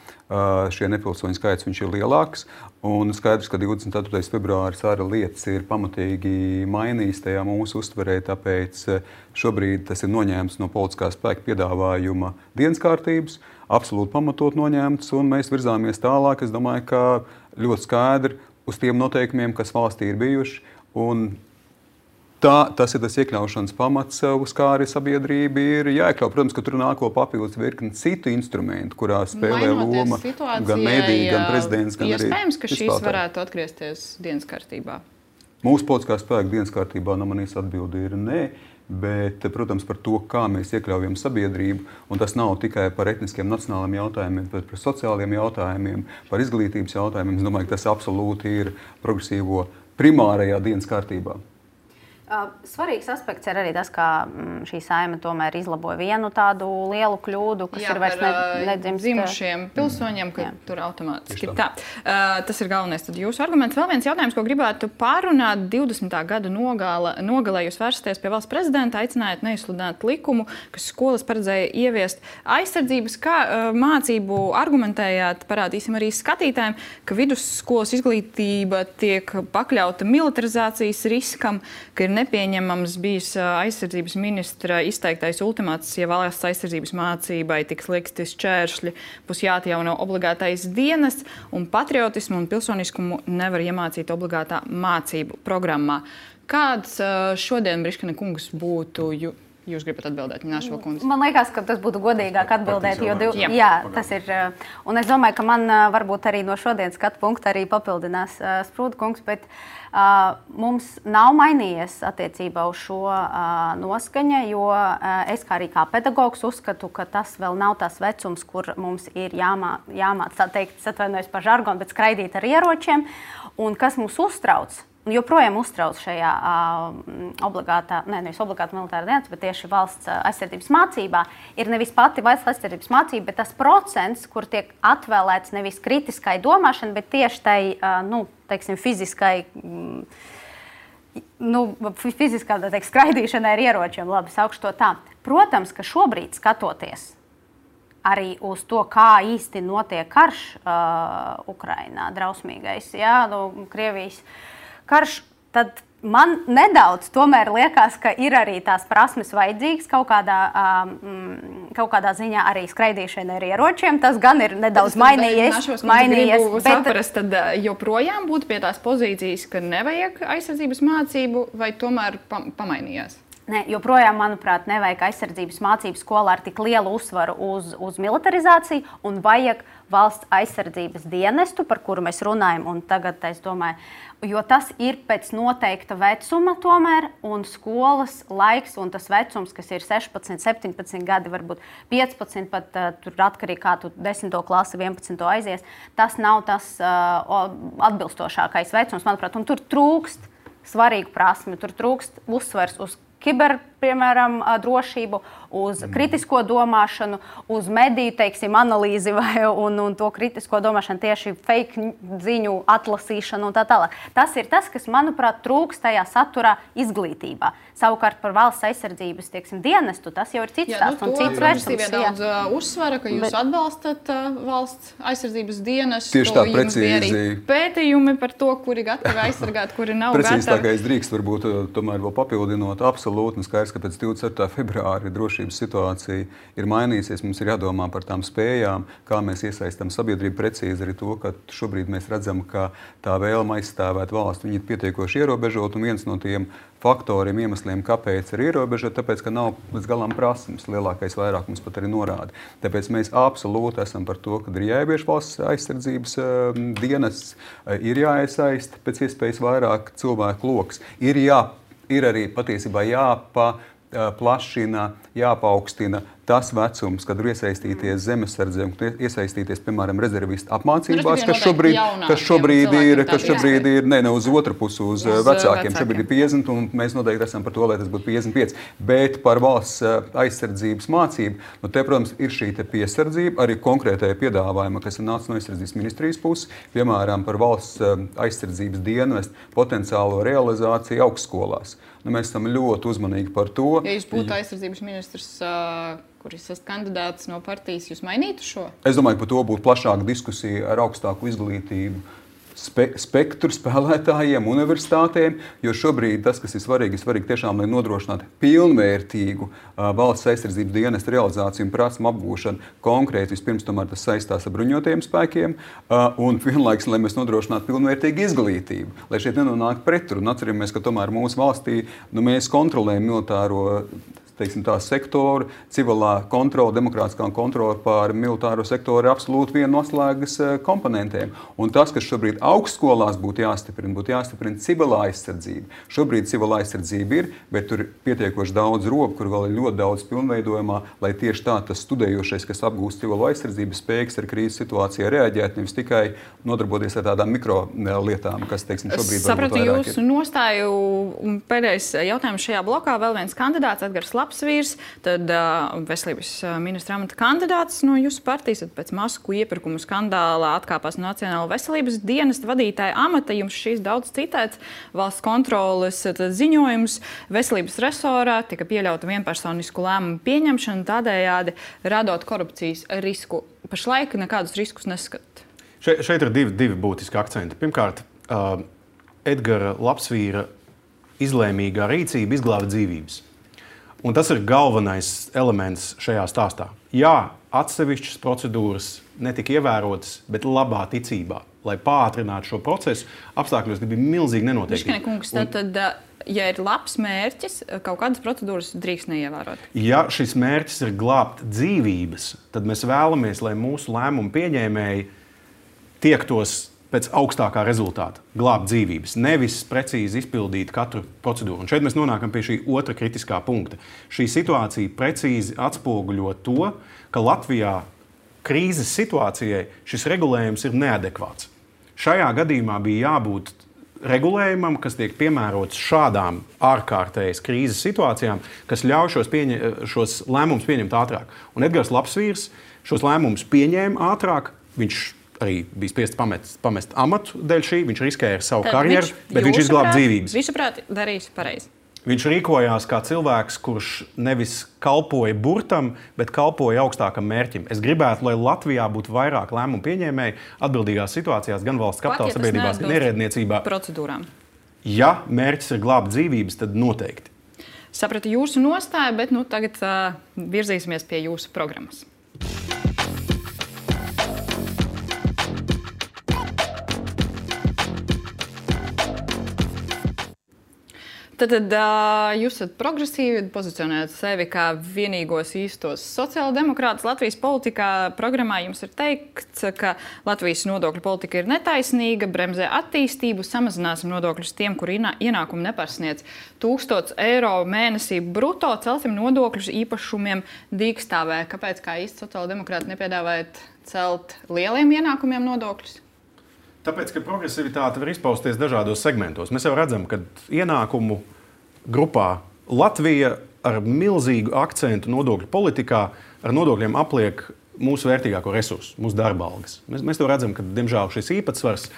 Šie nepilsoņu skaits viņš ir lielāks. Un skaidrs, ka divdesmit ceturtais februāris arī lietas ir pamatīgi mainījis tajā mūsu uztverē, tāpēc šobrīd tas ir noņēmts no politiskā spēka piedāvājuma dienas kārtības, absolūti pamatot noņēmts, un mēs virzāmies tālāk. Es domāju, ka ļoti skaidri uz tiem noteikumiem, kas valstī ir bijuši, un tā, tas ir tas iekļaušanas pamats, uz kā arī sabiedrība ir jāiekļauj. Protams, ka tur nāko papildus virkni citu instrumentu, kurā spēlē loma gan mēdīji, gan prezidents, gan arī iespējams, ka šīs varētu atgriezties dienas kārtībā. Mūsu politiskā spēka dienas kārtībā no manīs atbildi ir nē. Bet, protams, par to, kā mēs iekļaujam sabiedrību, un tas nav tikai par etniskiem nacionāliem jautājumiem, bet par sociāliem jautājumiem, par izglītības jautājumiem. Es domāju, ka tas absolūti ir progresīvo primārajā dienas kārtībā. Svarīgs aspekts ir arī tas, ka šī saima tomēr izlaboja vienu tādu lielu kļūdu, kas jā, ir vairs ne, nedzimst dzimušiem pilsoņiem, ka jā. Tur automātiski tā. Uh, tas ir galvenais tad jūsu arguments. Vēl viens jautājums, ko gribētu pārunāt. divdesmitā gada nogala, nogalē jūs vērsties pie valsts prezidenta, aicinājāt neizsludināt likumu, kas skolas paredzēja ieviest aizsardzības kā uh, mācību. Argumentējāt, parādīsim arī skatītājiem, ka vidusskolas izglītība tiek pakļauta militarizācijas riskam, ka ir nepieņemams bijis aizsardzības ministra izteiktais ultimāts, ja valsts aizsardzības mācībai tiks liekti šķēršļi, būs jāatjauno obligātais dienas, un patriotismu un pilsoniskumu nevar iemācīt obligātā mācību programmā. Kāds šodien, Briškina kungs, būtu jūs gribat atbildēt, Ņāšo kundze? Man liekas, ka tas būtu godīgāk atbildēt, jo div... jā. jā, tas ir. Un es domāju, ka man varbūt arī no šodienas skatu punkta arī papildinās uh, Sprūda kungs, bet uh, mums nav mainījies attiecībā uz šo uh, noskaņa, jo uh, es kā arī kā pedagogs uzskatu, ka tas vēl nav tas vecums, kur mums ir jāmā, jāmāc, tā teikt, atvainojos par žargonu, bet skraidīt ar ieročiem. Un kas mūs uztrauc, un joprojām uztrauc šajā uh, obligātā, ne, nevis obligāta militāra dienas, bet tieši valsts uh, aizsardzības mācībā, ir nevis pati valsts aizsardzības mācība, bet tas procents, kur tiek atvēlēts nevis kritiskai domāšanai, bet tieši tai, uh, nu, teiksim, fiziskai, mm, nu, fiziskā, tā teikt, skraidīšanai ar ieročiem, labi, saukšu to tā. Protams, ka šobrīd skatoties arī uz to, kā īsti notiek karš uh, Ukrainā, drausmīgais, jā, nu, Krievijas karš, tad man nedaudz tomēr liekas, ka ir arī tās prasmes vajadzīgas kaut kādā, um, kaut kādā ziņā arī skraidīšana ar ieročiem. Tas gan ir nedaudz tad, mainījies. Našos, mainījies bet... saprast, tad joprojām būtu pie tās pozīcijas, ka nevajag aizsardzības mācību, vai tomēr pa pamainījās? Ne, joprojām, manuprāt, nevajag aizsardzības mācību skolā ar tik lielu uzsvaru uz, uz militarizāciju un vajag valsts aizsardzības dienestu, par kuru mēs runājam, un tagad, es domāju, jo tas ir pēc noteikta vecuma tomēr, un skolas laiks, un tas vecums, kas ir sešpadsmit, septiņpadsmit gadi, varbūt piecpadsmit, pat uh, tur atkarīgi kā tu desmito klasi, vienpadsmito aizies, tas nav tas uh, atbilstošākais vecums, manuprāt, un tur trūkst svarīgu prasmi, tur trūkst uzsvers uz kiber, piemēram, drošību, uz kritisko domāšanu, uz mediju, teiksim, analīzi vai, un, un to kritisko domāšanu, tieši fake ziņu atlasīšanu un tā tālāk. Tas ir tas, kas, manuprāt, trūkst tajā saturā izglītībā. Savukārt par valsts aizsardzības, teiksim, dienestu, tas jau ir cits stāsts un cits vērtības. Daudz uh, uzsvara, ka jūs Bet... atbalstat uh, valsts aizsardzības dienestu. Tieši tā, precīzi. Pētījumi par to, kuri gatavi aizsargāt, kuri nav precīzi gatavi. Precīzi tā, ka es drīkst varbūt tomēr vēl papildinot absolūti, un skaidrs, ka pēc divdesmit ceturtā februāra drošības situācija ir mainīsies. Mums ir jādomā par tām spējām, kā mēs iesaistām sabiedrību, precīzi arī to, ka šobrīd mēs redzam, ka tā vēlme aizstāvēt valsts, viņi ir pietiekoši ierobežot, un viens no tiem faktoriem, iemesliem, kāpēc ir ierobežot, tāpēc, ka nav līdz galam prasmes, lielākais vairākums pat arī norāda. Tāpēc mēs absolūti esam par to, ka ir jāievieš valsts aizsardzības uh, dienests, uh, ir jāiesaist pēc iespējas vairāk cilvēku loks, ir, jā, ir arī patiesībā jāpa plašina, jāpaukstina tas vecums, kad var iesaistīties zemesardzē un iesaistīties, piemēram, rezervistu apmācībās, kas šobrīd, kas šobrīd ir, kas šobrīd ir, ne, ne uz otru pusi, uz, uz vecākiem. vecākiem. Šobrīd ir piecdesmit, un mēs noteikti esam par to, lai tas būtu piecdesmit pieci. Bet par valsts aizsardzības mācību, nu te, protams, ir šī te piesardzība, arī konkrētajā piedāvājuma, kas ir nācis no aizsardzības ministrijas puses, piemēram, par valsts aizsardzības dienestu potenciālo realizāciju augstskolās. Nu, mēs esam ļoti uzmanīgi par to. Ja jūs būtu aizsardzības ministrs, uh, kuris esat kandidāts no partijas, jūs mainītu šo? Es domāju, ka par to būtu plašāka diskusija ar augstāku izglītību spe spektru spēlētājiem, universitātēm, jo šobrīd tas, kas ir svarīgi, ir svarīgi tiešām, lai nodrošinātu pilnvērtīgu uh, valsts aizsardzības dienesta realizāciju un prasmu apgūšanu. Konkrēti vispirms tomēr tas saistās ar bruņotajiem spēkiem uh, un vienlaiks, lai mēs nodrošinātu pilnvērtīgu izglītību, lai šeit nenonāk pretrunu. Atceramies, ka tomēr mūsu valstī nu, mēs kontrolējam militāro teiksim, tā sektoru, civilā kontrola, demokrātiskā kontrola pār militāro sektoru ir absolūti viena no atslēgas komponentiem. Un tas, kas šobrīd augstskolās būtu jāstiprina, būtu jāstiprina civilā aizsardzība. Šobrīd civilā aizsardzība ir, bet tur ir pietiekoši daudz robu, kur vēl ir ļoti daudz pilnveidojumā, lai tieši tā tas studējošais, kas apgūst civilo aizsardzību, spējīgs ar krīzes situācijā reaģēt, nevis tikai nodarboties ar tādām mikro lietām, kas, teiksim, šobrīd sapratu jūsu nostāju. Pēdējais jautājums šajā blokā. Vēl viens kandidāts, Edgars Lapsvīrs, tad uh, veselības ministra amata kandidāts no jūsu partijas, tad pēc masku iepirkumu skandālā atkāpās Nacionāla veselības dienesta vadītāja amata. Jums šīs daudz citēts valsts kontroles ziņojums. Veselības resorā tika pieļauta vienpersonisku lēmumu pieņemšana, tādējādi radot korupcijas risku. Pašlaik nekādus riskus neskat. Še, šeit ir divi, divi būtiski akcenti. Pirmkārt, uh, Edgara Lapsvīra izlēmīgā rīcība izglāba dzīvības. Un tas ir galvenais elements šajā stāstā. Jā, atsevišķas procedūras netika ievērotas, bet labā ticībā, lai pātrinātu šo procesu apstākļos, kad bija milzīgi nenoteikti. Biškine kungs, tad, tad, ja ir labs mērķis, kaut kādas procedūras drīkst neievērot. Ja šis mērķis ir glābt dzīvības, tad mēs vēlamies, lai mūsu lēmumu pieņēmēji tiektos pēc augstākā rezultāta, glābt dzīvības, nevis precīzi izpildīt katru procedūru. Un šeit mēs nonākam pie šī otra kritiskā punkta. Šī situācija precīzi atspoguļo to, ka Latvijā krīzes situācijai šis regulējums ir neadekvāts. Šajā gadījumā bija jābūt regulējumam, kas tiek piemērots šādām ārkārtējas krīzes situācijām, kas ļauj šos, pieņa, šos lēmumus pieņemt ātrāk. Un Edgars Lapsvīrs šos lēmumus pieņēma ātrāk, viņš arī bija spiests pamest, pamest amatu dēļ šī, viņš riskēja ar savu Tad karjeru, viņš, bet viņš izglāba dzīvības. Viņš, prāt, darīs pareizi. Viņš rīkojās kā cilvēks, kurš nevis kalpoja burtam, bet kalpoja augstākam mērķim. Es gribētu, lai Latvijā būtu vairāk lēmumu pieņēmēji atbildīgās situācijās, gan valsts kapitāla sabiedrībās, gan ierēdniecībā. Procedūrām. Ja mērķis ir glābt dzīvības, tad noteikti. Sapratu jūsu nostāju, bet nu, tagad uh, virzīsimies pie jūsu programmas. Tad, tad jūs esat progresīvi, pozicionējat sevi kā vienīgos īstos sociāldemokrātus Latvijas politikā. Programmā jums ir teikts, ka Latvijas nodokļu politika ir netaisnīga, bremzē attīstību, samazināsim nodokļus tiem, kur ienākumi nepārsniedz tūkstots eiro mēnesī bruto, celsim nodokļus īpašumiem dīkstāvē. Kāpēc kā īsti sociāldemokrāti nepiedāvājat celt lieliem ienākumiem nodokļus? Tāpēc, ka progresivitāte var izpausties dažādos segmentos. Mēs jau redzam, ka ienākumu grupā Latvija ar milzīgu akcentu nodokļu politikā ar nodokļiem apliek mūsu vērtīgāko resursu, mūsu darba algas. Mēs, mēs to redzam, ka, diemžēl, šis īpatsvars,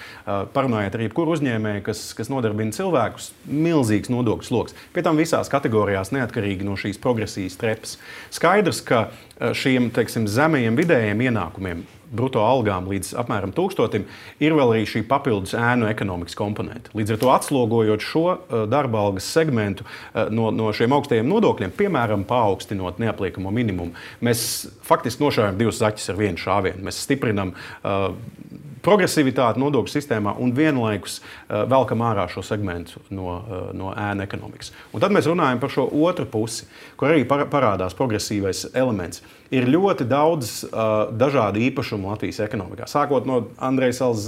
parunājot ar jebkuru uzņēmēju, kas, kas nodarbina cilvēkus, milzīgs nodokļu sloks. Pie tam visās kategorijās neatkarīgi no šīs progresijas trepas. Skaidrs, ka šiem, teiksim, zemajiem vidējiem ienākumiem, bruto algām līdz apmēram tūkstotim, ir vēl arī šī papildus ēnu ekonomikas komponente. Līdz ar to atslogojot šo darba algas segmentu no, no šiem augstajiem nodokļiem, piemēram, paaugstinot neapliekamo minimumu, mēs faktiski nošaujam divus zaķus ar vienu šāvienu. Mēs stiprinam uh, progresivitāti nodokļu sistēmā un vienlaikus uh, velkam ārā šo segmentu no, uh, no ēnu ekonomikas. Un tad mēs runājam par šo otru pusi, kur arī parādās progresīvais elements. Ir ļoti daudz uh, dažādu īpašumu Latvijas ekonomikā. Sākot no Andrejas salas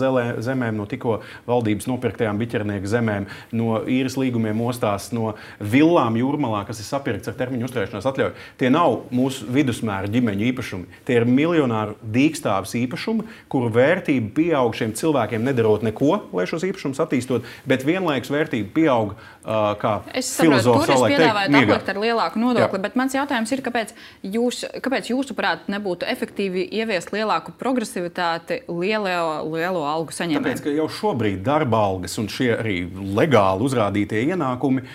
zemēm, no tikko valdības nopirktajām biķernieku zemēm, no īres līgumiem ostās, no villām Jūrmalā, kas ir sapirkts ar termiņu uzturēšanās atļauju. Tie nav mūsu vidusmēra ģimeņu īpašumi. Tie ir miljonāru dīkstāves īpašumi, kuru vērtība pieaug šiem cilvēkiem nedarot neko, lai šos īpašumus attīstot, bet vienlaikus vērtība pieaug uh, kā filozofs savulaik teikt, miegā. Es saprotu, tur jūs piedāvājat aplikt ar lielāku nodokli, Jā. Bet mans jautājums ir, kāpēc jūs, kāpēc jūsuprāt, nebūtu efektīvi ieviest lielāku progresivitāti lielo, lielo algu saņēmējiem? Tāpēc, ka jau šobrīd darba algas un šie arī legāli uzrādītie ienākumi,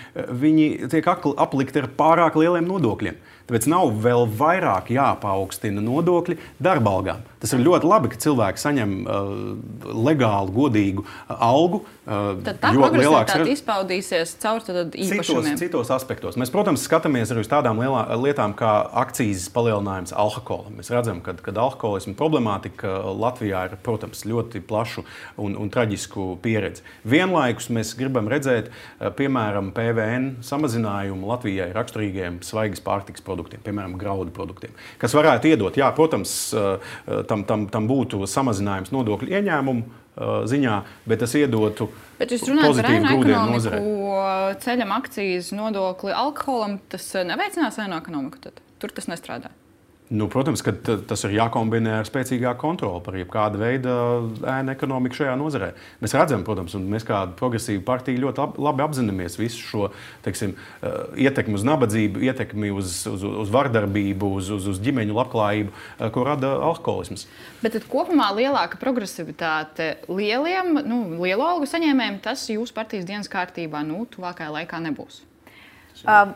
viņi tiek aplikti ar pārāk lieliem nodokļiem. Tāpēc nav vēl vairāk jāpaaugstina nodokļi darba algām. Tas ir ļoti labi, ka cilvēki saņem uh, legālu, godīgu uh, algu. Uh, tad tā progresivitāte izpaudīsies caur tad īpašumiem. Citos, citos aspektos. Mēs, protams, skatāmies arī uz tādām lielā, lietām kā akcīzes palielinājums alkoholam. Mēs redzam, ka, kad alkoholisma problemātika Latvijā ir, protams, ļoti plašu un, un traģisku pieredzi. Vienlaikus mēs gribam redzēt, uh, piemēram, P V N samazinājumu Latvijai raksturīgiem svaigas pārtikas produktiem, piemēram, graudu produktiem, kas varētu iedot, jā, protams, tam, tam, tam būtu samazinājums nodokļu ieņēmumu ziņā, bet tas iedotu bet jūs runājat par ēnu ekonomiku, ceļam akcijas nodokli alkoholam, tas neveicinās ēnu ekonomiku tad? Tur tas nestrādā? Nu, protams, ka tas ir jākombinē ar spēcīgāku kontroli par jebkāda veida ēnu ekonomiku šajā nozarē. Mēs redzam, protams, un mēs kā progresīva partija ļoti labi apzināmies visu šo, teiksim, ietekmi uz nabadzību, ietekmi uz, uz, uz vardarbību, uz, uz, uz ģimeņu labklājību, ko rada alkoholisms. Bet tad kopumā lielāka progresivitāte lieliem, nu, lielu algu saņēmējiem, tas jūsu partijas dienas kārtībā, nu, tuvākajā laikā nebūs. Um.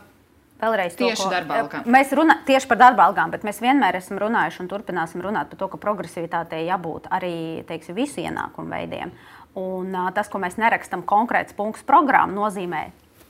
Vēlreiz tieši to, ko, darba algām. Mēs runā, tieši par darba algām, bet mēs vienmēr esam runājuši un turpināsim runāt par to, ka progresivitātei jābūt arī, teiksim, visu ienākumu veidiem. Un uh, tas, ko mēs nerakstam konkrēts punkts programmu, nozīmē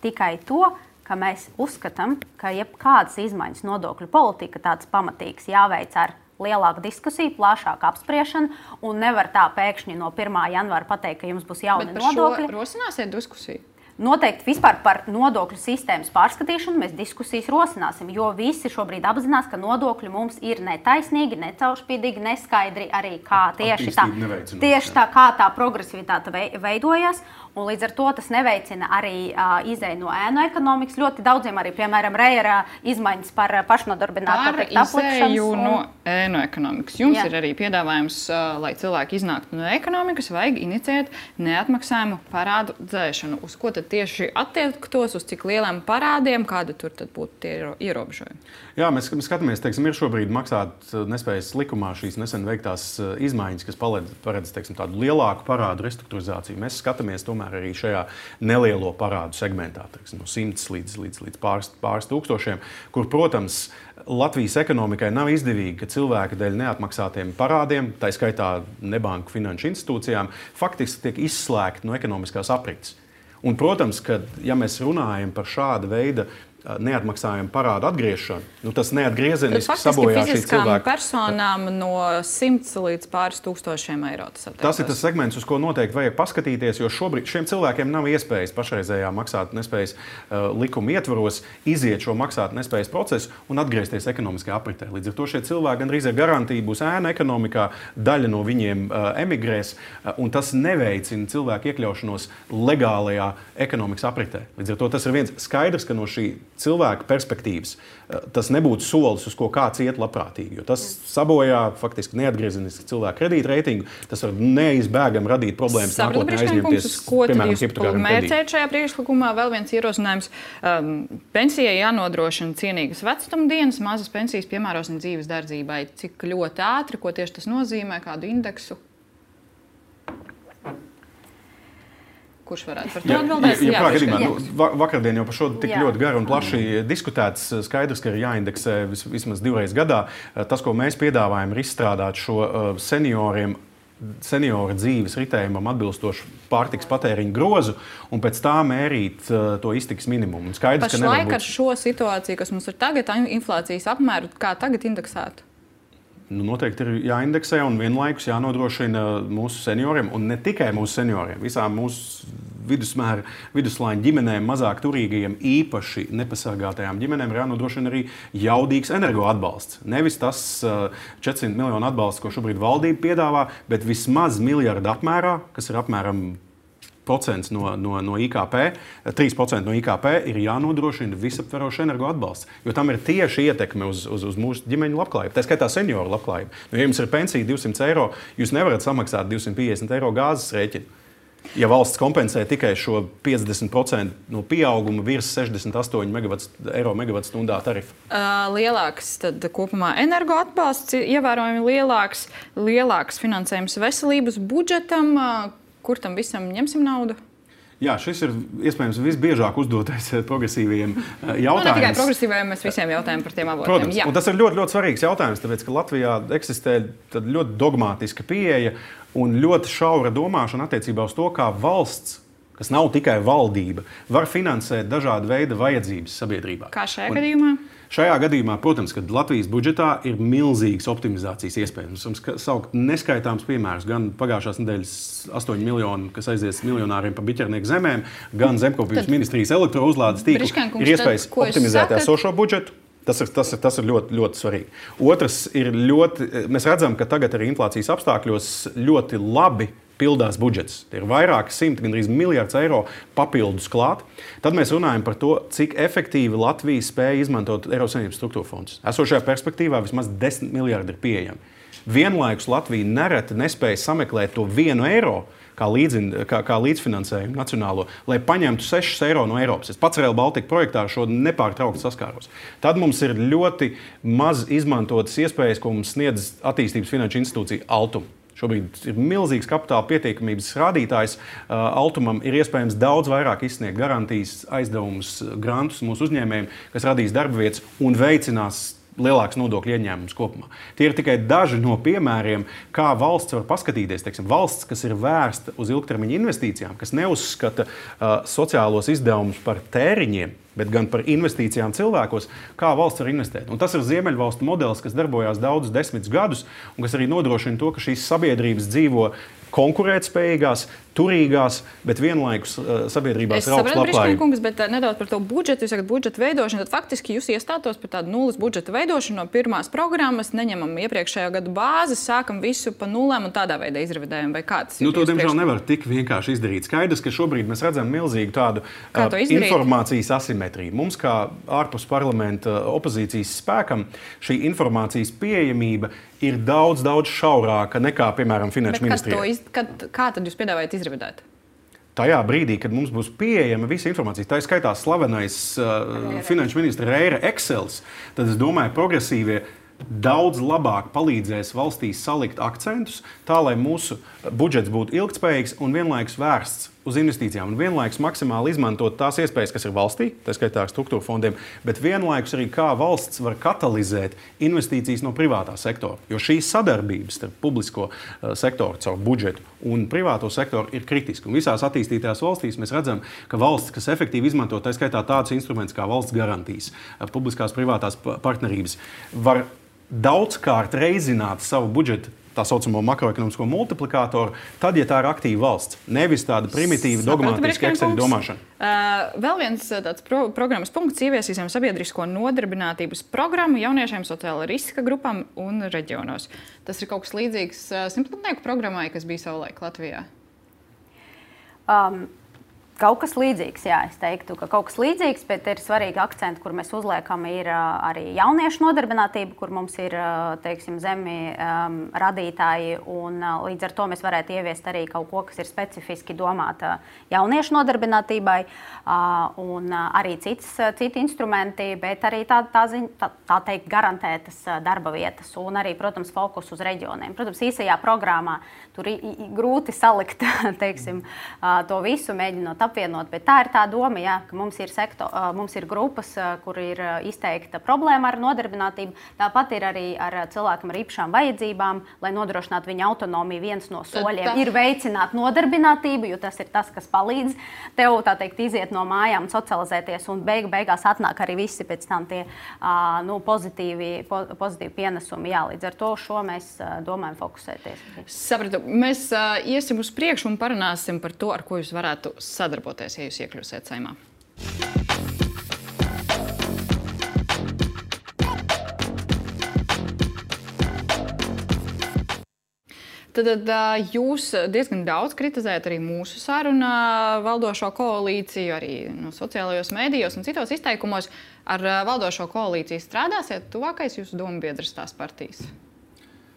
tikai to, ka mēs uzskatām, ka jebkādas izmaiņas nodokļu politika tāds pamatīgs jāveic ar lielāka diskusija, plašāka apspriešana, un nevar tā pēkšņi no pirmā janvāra pateikt, ka jums būs jauni Bet par nodokļi. Šo rosināsiet diskusiju? Noteikti vispār par nodokļu sistēmas pārskatīšanu mēs diskusijas rosināsim, jo visi šobrīd apzinās, ka nodokļi mums ir netaisnīgi, necaurspīdīgi, neskaidri arī kā tieši tā, tieši tā, kā tā progresivitāte veidojas. Un līdz ar to tas neveicina arī uh, izēju no ēnu ekonomikas. Ļoti daudziem arī, piemēram, Reira izmaiņas par pašnodarbināto izēju un... no ēnu ekonomikas. Jums Jā. ir arī piedāvājums, uh, lai cilvēki iznāktu no ekonomikas, vajag iniciēt neatmaksājumu parādu dzēšanu. Uz ko tad tieši attiektos, uz cik lieliem parādiem, kāda tur tad būtu tie ierobežojumi? Jā, mēs, mēs skatāmies, teiksim, ir šobrīd maksāt nespējas likumā šīs nesen veiktās izmaiņas, kas paredz, paredz teiksim, tādu lielāku parādu restruktūrizāciju. Mēs skatāmies tomēr arī šajā nelielo parādu segmentā, teiksim, no simts līdz, līdz, līdz pāris, pāris tūkstošiem, kur, protams, Latvijas ekonomikai nav izdevīgi, ka cilvēki dēļ neatmaksātiem parādiem, tā skaitā nebanku finanšu institūcijām, faktiski tiek izslēgti no ekonomiskās aprits. Un, protams, ka, ja mēs runājam par šāda veida neatmaksājumu parādu atgriešanu, nu, tas neatgriezeniski sabojā šī cilvēka. Personām no simts līdz pāris tūkstošiem eiro. Tas, tas ir tas segments, uz ko noteikti vajag paskatīties, jo šobrīd šiem cilvēkiem nav iespējas pašreizējā maksāt nespējas uh, likuma ietvaros iziet šo maksāt nespējas procesu un atgriezties ekonomiskajā apritē. Līdz ar to šie cilvēki gandrīz ar garantiju būs ēna ekonomikā, daļa no viņiem uh, emigrēs, uh, un tas neveicina cilvēku iekļaušanos legālajā ekonomikas apritē. Līdz ar to tas ir viens skaidrs, ka no šī cilvēka perspektīvas tas nebūtu solis, uz ko kāds iet labprātīgi, jo tas sabojā faktiski neatgriezeniski cilvēku kredītreitingu, tas var neizbēgami radīt problēmas nākotnē aizņemties, piemēram, hipotekāriem kredītiem. Šajā priekšlikumā vēl viens ierosinājums. Um, pensijai jānodrošina cienīgas vecuma dienas, mazas pensijas piemērosim dzīves dardzībai. Cik ļoti ātri, ko tieši tas nozīmē, kādu indeksu? Kurš varētu par to atbildēt? Jā, jā, jā, nu, vakardien jau par šo tik jā. ļoti garu un plaši diskutēts. Skaidrs, ka ir jāindeksē vis, vismaz divreiz gadā. Tas, ko mēs piedāvājam, ir izstrādāt šo senioriem, senioru dzīves ritējumam atbilstošu pārtikas patēriņu grozu un pēc tā mērīt uh, to iztikas minimumu. Skaidrs, Pašlaik ka nevar būt... ar šo situāciju, kas mums ir tagad, inflācijas apmēru, kā tagad indeksētu? Nu, noteikti ir jāindeksē un vienlaikus jānodrošina mūsu senioriem, un ne tikai mūsu senioriem, visām mūsu vidusmēra, viduslaiņa ģimenēm, mazāk turīgajiem, īpaši nepasargātajām ģimenēm ir jānodrošina arī jaudīgs energoatbalsts. Nevis tas četrsimt miljonu atbalsts, ko šobrīd valdība piedāvā, bet vismaz miljardu apmērā, kas ir apmēram procents no, no, no I K P, trīs procenti no I K P ir jānodrošina visaptverošs energoatbalsts, jo tam ir tieši ietekme uz, uz, uz mūsu ģimeņu labklājību, tā skaitā senioru labklājību. Nu, ja jums ir pensija divsimt eiro, jūs nevarat samaksāt divsimt piecdesmit eiro gāzes rēķinu. Ja valsts kompensē tikai šo piecdesmit procentu no pieauguma virs sešdesmit astoņi eiro megawatstundā tarifu. Uh, lielāks tad kopumā energoatbalsts, ievērojami lielāks, lielāks finansējums veselības budžetam, uh, kur tam visam ņemsim naudu? Jā, šis ir iespējams visbiežāk uzdotais progresīviem jautājums. Nu, ne tikai progresīviem, mēs visiem jautājam par tiem avotiem. Protams, un tas ir ļoti, ļoti svarīgs jautājums, tāpēc, ka Latvijā eksistē ļoti dogmātiska pieeja un ļoti šaura domāšana attiecībā uz to, kā valsts, kas nav tikai valdība, var finansēt dažādu veidu vajadzības sabiedrībā. Kā šajā un, gadījumā? Šajā gadījumā, protams, kad Latvijas budžetā ir milzīgas optimizācijas iespējas. Mums ir saukt neskaitāms piemērs, gan pagājušās nedēļas astoņi miljoni, kas aizies miljonāriem pa biķernieku zemēm, gan zemkopības ministrijas elektrouzlādes tīklu. Ir iespējas tad, optimizēt esošo budžetu. Tas ir, tas ir, tas ir ļoti, ļoti svarīgi. Otrs ir ļoti, mēs redzam, ka tagad arī inflācijas apstākļos ļoti labi pildās budžets. Tie ir vairāki simti, gandrīz miljards eiro papildus klāt. Tad mēs runājam par to, cik efektīvi Latvija spēja izmantot Eiropas Savienības struktūra fondus. Esošajā perspektīvā vismaz desmit miljardi ir pieejami. Vienlaikus Latvija nereti nespēja sameklēt to vienu eiro, kā, līdzin, kā, kā līdzfinansējumu nacionālo, lai paņemtu sešus eiro no Eiropas. Es pats Rail Baltica projektā šo nepārtraukti saskāros. Tad mums ir ļoti maz izmantotas iespējas, ko mums sniedz attīstības finanšu institūcija Altum. Šobrīd ir milzīgs kapitāla pietiekamības rādītājs. Altumam ir iespējams daudz vairāk izsniegt garantijas, aizdevumus, grantus mūsu uzņēmējiem, kas radīs darba vietas un veicinās lielāks nodokļu ieņēmums kopumā. Tie ir tikai daži no piemēriem, kā valsts var paskatīties. Teiksim, valsts, kas ir vērsta uz ilgtermiņa investīcijām, kas neuzskata uh, sociālos izdevumus par tēriņiem, bet gan par investīcijām cilvēkos, kā valsts var investēt. Un tas ir Ziemeļvalstu modelis, kas darbojās daudzus desmitus gadus un kas arī nodrošina to, ka šīs sabiedrības dzīvo konkurētspējīgās, turīgās, bet vienlaikus uh, sabiedrībās ir augsts labklājība. Kungs, bet uh, nedaudz par to budžetu, jūs sakat budžeta veidošanu, tad faktiski jūs iestātos par tādu nulles budžeta veidošanu no pirmās programmas, neņemam iepriekšējā gada bāzes, sākam visu pa nulēm un tādā veidā izrevidējam, vai kāds ir? Nu, to, diemžēl, nevar tik vienkārši izdarīt. Skaidrs, ka šobrīd mēs redzam milzīgu tādu uh, informācijas asimetriju. Mums, kā ārpus parlamenta opozīcijas spēkam, šī informācijas pieejamība ir daudz, daudz šaurāka nekā, piemēram, Finanšu ministrijai. Iz... Kad, kā tad jūs piedāvājat izrevidēt? Tajā brīdī, kad mums būs pieejama visa informācija, tā ir skaitā slavenais uh, Finanšu ministra Reira Excels, tad es domāju, progresīvie daudz labāk palīdzēs valstī salikt akcentus, tā lai mūsu budžets būtu ilgtspējīgs un vienlaikus vērsts uz investīcijām un vienlaikus maksimāli izmantot tās iespējas, kas ir valstī, tā skaitā ar struktūra fondiem, bet vienlaikus arī kā valsts var katalizēt investīcijas no privātā sektora. Jo šī sadarbības starp publisko uh, sektoru caur budžetu un privāto sektoru ir kritiska. Un visās attīstītajās valstīs mēs redzam, ka valsts, kas efektīvi izmanto tā skaitā tādus instrumentus kā valsts garantijas, uh, publiskās privātās partnerības, var daudzkārt reizināt savu budžetu, tā saucamo makroekonomisko multiplikātoru, tad, ja tā ir aktīva valsts, nevis tāda primitīva, dogmatiska Excel domāšana. Uh, vēl viens tāds pro programmas punkts: ieviesīsim sabiedrisko nodarbinātības programmu jauniešiem sociāla riska grupām un reģionos. Tas ir kaut kas līdzīgs uh, simtgadnieku programmai, kas bija savulaik Latvijā. Um. Kaut kas līdzīgs, jā, es teiktu, ka kaut kas līdzīgs, bet ir svarīgi akcenti, kur mēs uzliekam, ir uh, arī jauniešu nodarbinātība, kur mums ir, uh, teiksim, zemi um, radītāji, un uh, līdz ar to mēs varētu ieviest arī kaut ko, kas ir specifiski domāta jauniešu nodarbinātībai, uh, un uh, arī cits, uh, citi instrumenti, bet arī tā, tā, ziņ, tā, tā teikt garantētas uh, darba vietas, un arī, protams, fokus uz reģioniem. Protams, īsajā programmā tur i, i, grūti salikt, teiksim, uh, to visu, mēģinot apvienot, bet tā ir tā doma, jā, ka mums ir, sektor, mums ir grupas, kur ir izteikta problēma ar nodarbinātību. Tāpat ir arī ar cilvēkiem ar īpašām vajadzībām, lai nodrošinātu viņa autonomiju. Viens no soļiem tā ir veicināt nodarbinātību, jo tas ir tas, kas palīdz tev, tā teikt, iziet no mājām, socializēties, un beigu beigās atnāk arī visi pēc tam tie nu, pozitīvi, po, pozitīvi pienesumi. Jā, līdz ar to šo mēs domājam fokusēties. Sapratu. Mēs uh, iesim uz priekšu un parunāsim par to, ar ko jūs varētu sadarboties. darboties, ja jūs iekļūsiet Saeimā. Tad jūs diezgan daudz kritizējat arī mūsu sarunā valdošo koalīciju, arī no sociālajos mēdījos un citos izteikumos. Ar valdošo koalīciju strādāsiet tuvākais jūsu dombiedras tās partijas?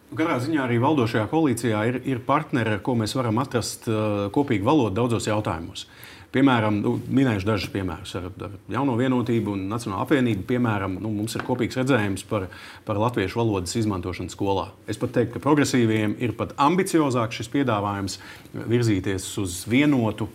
Katrā ziņā arī valdošajā koalīcijā ir, ir partneri, ar ko mēs varam atrast uh, kopīgu valodu daudzos jautājumos. Piemēram, nu, minējuši dažus piemērus ar, ar Jauno vienotību un Nacionālo apvienību. Piemēram, nu, mums ir kopīgs redzējums par, par latviešu valodas izmantošanu skolā. Es pat teiktu, ka progresīviem ir pat ambiciozāks šis piedāvājums virzīties uz vienotu,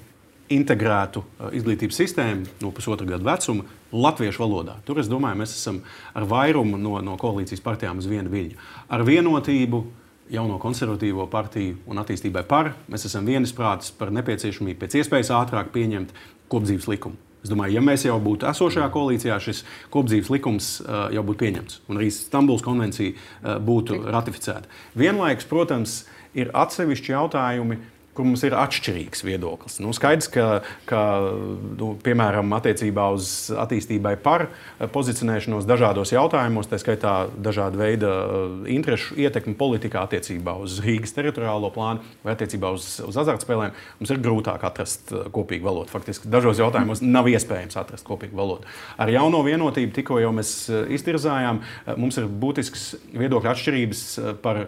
integrētu izglītības sistēmu no pusotra gada vecuma latviešu valodā. Tur, es domāju, mēs esam ar vairumu no, no koalīcijas partijām uz vienu viļņu. Ar vienotību, Jauno konservatīvo partiju un attīstībai par, mēs esam vienisprātis par nepieciešamību pēc iespējas ātrāk pieņemt kopdzīves likumu. Es domāju, ja mēs jau būtu esošajā koalīcijā, šis kopdzīves likums uh, jau būtu pieņemts un arī Stambulas konvencija uh, būtu ratificēta. Vienlaikus, protams, ir atsevišķi jautājumi, kur mums ir atšķirīgs viedoklis. Nu, skaidrs, ka, ka nu, piemēram, attiecībā uz attīstībai par pozicionēšanos dažādos jautājumos, tā skaitā dažāda veida interešu ietekmi politikā attiecībā uz Rīgas teritoriālo plānu vai attiecībā uz, uz azartspēlēm, mums ir grūtāk atrast kopīgu valodu. Faktiski dažos jautājumos nav iespējams atrast kopīgu valodu. Ar Jauno vienotību tikko jau mēs iztirzājām, mums ir būtisks viedokļu atšķirības par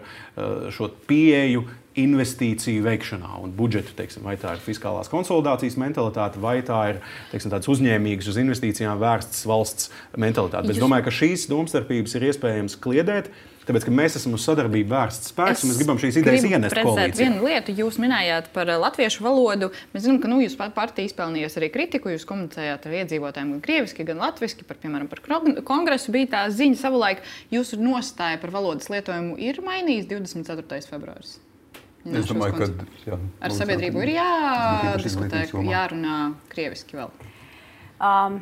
šo pieeju investīciju veikšanā un budžetu, teiksim, vai tā ir fiskālās konsolidācijas mentalitāte, vai tā ir, teiksim, tāds uzņēmīgs uz investīcijām vērsts valsts mentalitāte. Bet es domāju, ka šīs domstarpības ir iespējams kliedēt, tāpēc, ka mēs esam uz sadarbību vērsts spēks, un mēs gribam šīs idejas ienest koalīcijā. Vienu lietu jūs minējāt par latviešu valodu. Mēs zinām, ka nu, jūs partija izpelnījās arī kritiku, jūs komunicējāt ar iedzīvotājiem gan krieviski, gan latviski, par, piemēram, par kongresu bija tā ziņa savulaik. Jūsu nostāja par valodas lietojumu ir mainījis divdesmit ceturtais februāris. Es domāju, ka jā, ar sabiedrību ir jādiskutē, jārunā krieviski vēl. Um,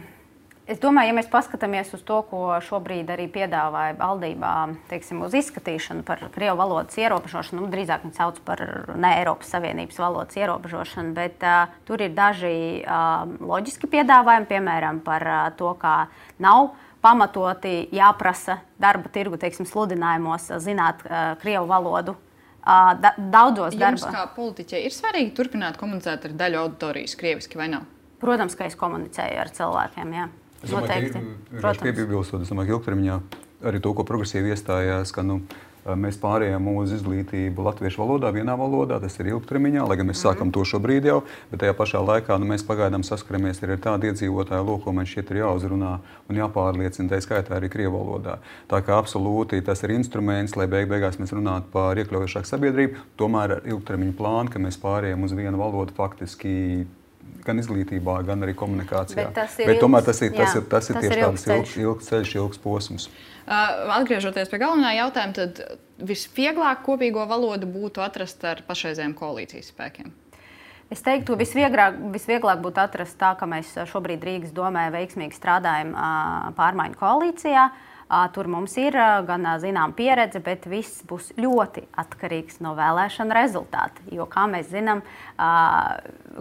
Es domāju, ja mēs paskatāmies uz to, ko šobrīd arī piedāvāja valdībā, teiksim, uz izskatīšanu par krievu valodas ierobežošanu, nu, drīzāk viņi sauc par ne Eiropas Savienības valodas ierobežošanu, bet uh, tur ir daži uh, loģiski piedāvājumi, piemēram, par uh, to, kā nav pamatoti jāprasa darba tirgu, teiksim, sludinājumos zināt uh, krievu valodu. Uh, da, daudzos Jums, darba. kā politiķei, ir svarīgi turpināt komunicēt ar daļu auditorijas krieviski vai nav? Protams, ka es komunicēju ar cilvēkiem, jā. Es domāju, ka piebilstot, es domāju, ka ilgtermiņā arī to, ko progresīvi iestājās, ka nu, mēs pārējām uz izglītību latviešu valodā, vienā valodā, tas ir ilgtermiņā, lai gan mēs sākam to šobrīd jau, bet tajā pašā laikā nu, mēs pagaidām saskaramies ar tādu iedzīvotāju loku, ko man šķiet ir jāuzrunā un jāpārliecina, tā skaitā arī krievu valodā. Tā kā absolūti tas ir instruments, lai beig beigās mēs runātu par iekļaujošāku sabiedrību, tomēr ar ilgtermiņu plānu, ka mēs pārējām uz vienu valodu faktiski gan izglītībā, gan arī komunikācijā. Bet, tas ir Bet tomēr ilgs, tas ir, tas jā, ir, tas ir tas tieši ir tāds ilgs ilgs, ilgs ceļš, ilgs posms. Uh, atgriežoties pie galvenā jautājuma, tad visvieglāk kopīgo valodu būtu atrast ar pašreizējiem koalīcijas spēkiem. Es teiktu, visvieglāk, visvieglāk būtu atrast tā, ka mēs šobrīd Rīgas domē veiksmīgi strādājam uh, pārmaiņu koalīcijā. Uh, tur mums ir uh, gan uh, zinām pieredze, bet viss būs ļoti atkarīgs no vēlēšana rezultāta. Jo, kā mēs zinām, uh,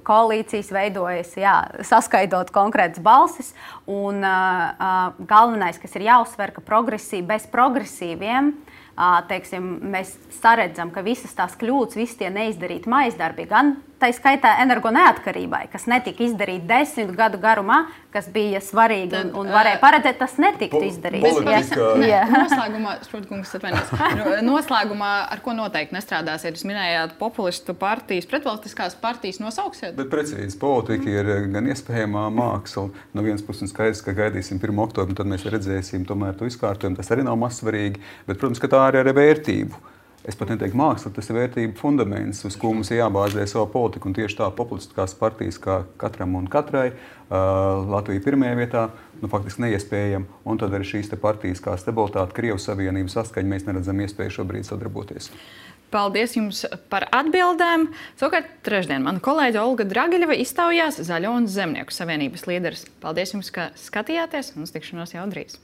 koalīcijas veidojas, jā, saskaidot konkrētas balsis. Un uh, uh, galvenais, kas ir jāuzsver, ka progresīvi, bez progresīviem, uh, teiksim, mēs saredzam, ka visas tās kļūdas, visi tie neizdarīti maizdarbi, gan tā skaitā energo neatkarībai, kas netika izdarīti desmit gadu garumā, kas bija svarīgi un, un varēja paredzēt, tas netika izdarīts. Jā. Noslēgumā, Sprūdkungs, atvainojos, noslēgumā ar ko noteikti nestrādāsiet? Jūs minējāt populistu partijas, pretvalstiskās partijas nosauksiet? Bet precīzi, politika ir gan iespējamā māksla. No vienas puses skaidrs, ka gaidīsim pirmo oktobru, tad mēs redzēsim tomēr to izkārtojumu. Tas arī nav mazsvarīgi, bet, protams, ka tā arī ir vērtību. Es pat neteiktu māksla, tas ir vērtību fundaments, uz ko mums ir jābāzē savu politiku. Un tieši tā populistiskās partijas, kā katram un katrai, uh, Latvija pirmajā vietā, nu, faktiski neiespējama. Un tad arī šīs te partijas kā stabilitāte, Krievu savienību saskaņa, mēs neredzam iespēju šobrīd sadarboties. Paldies jums par atbildēm. Savukārt trešdien mana kolēģe Olga Dragiļeva iztaujās Zaļo un Zemnieku savienības līderis. Paldies jums, ka skatījāties un uz tikšanos jau drīz.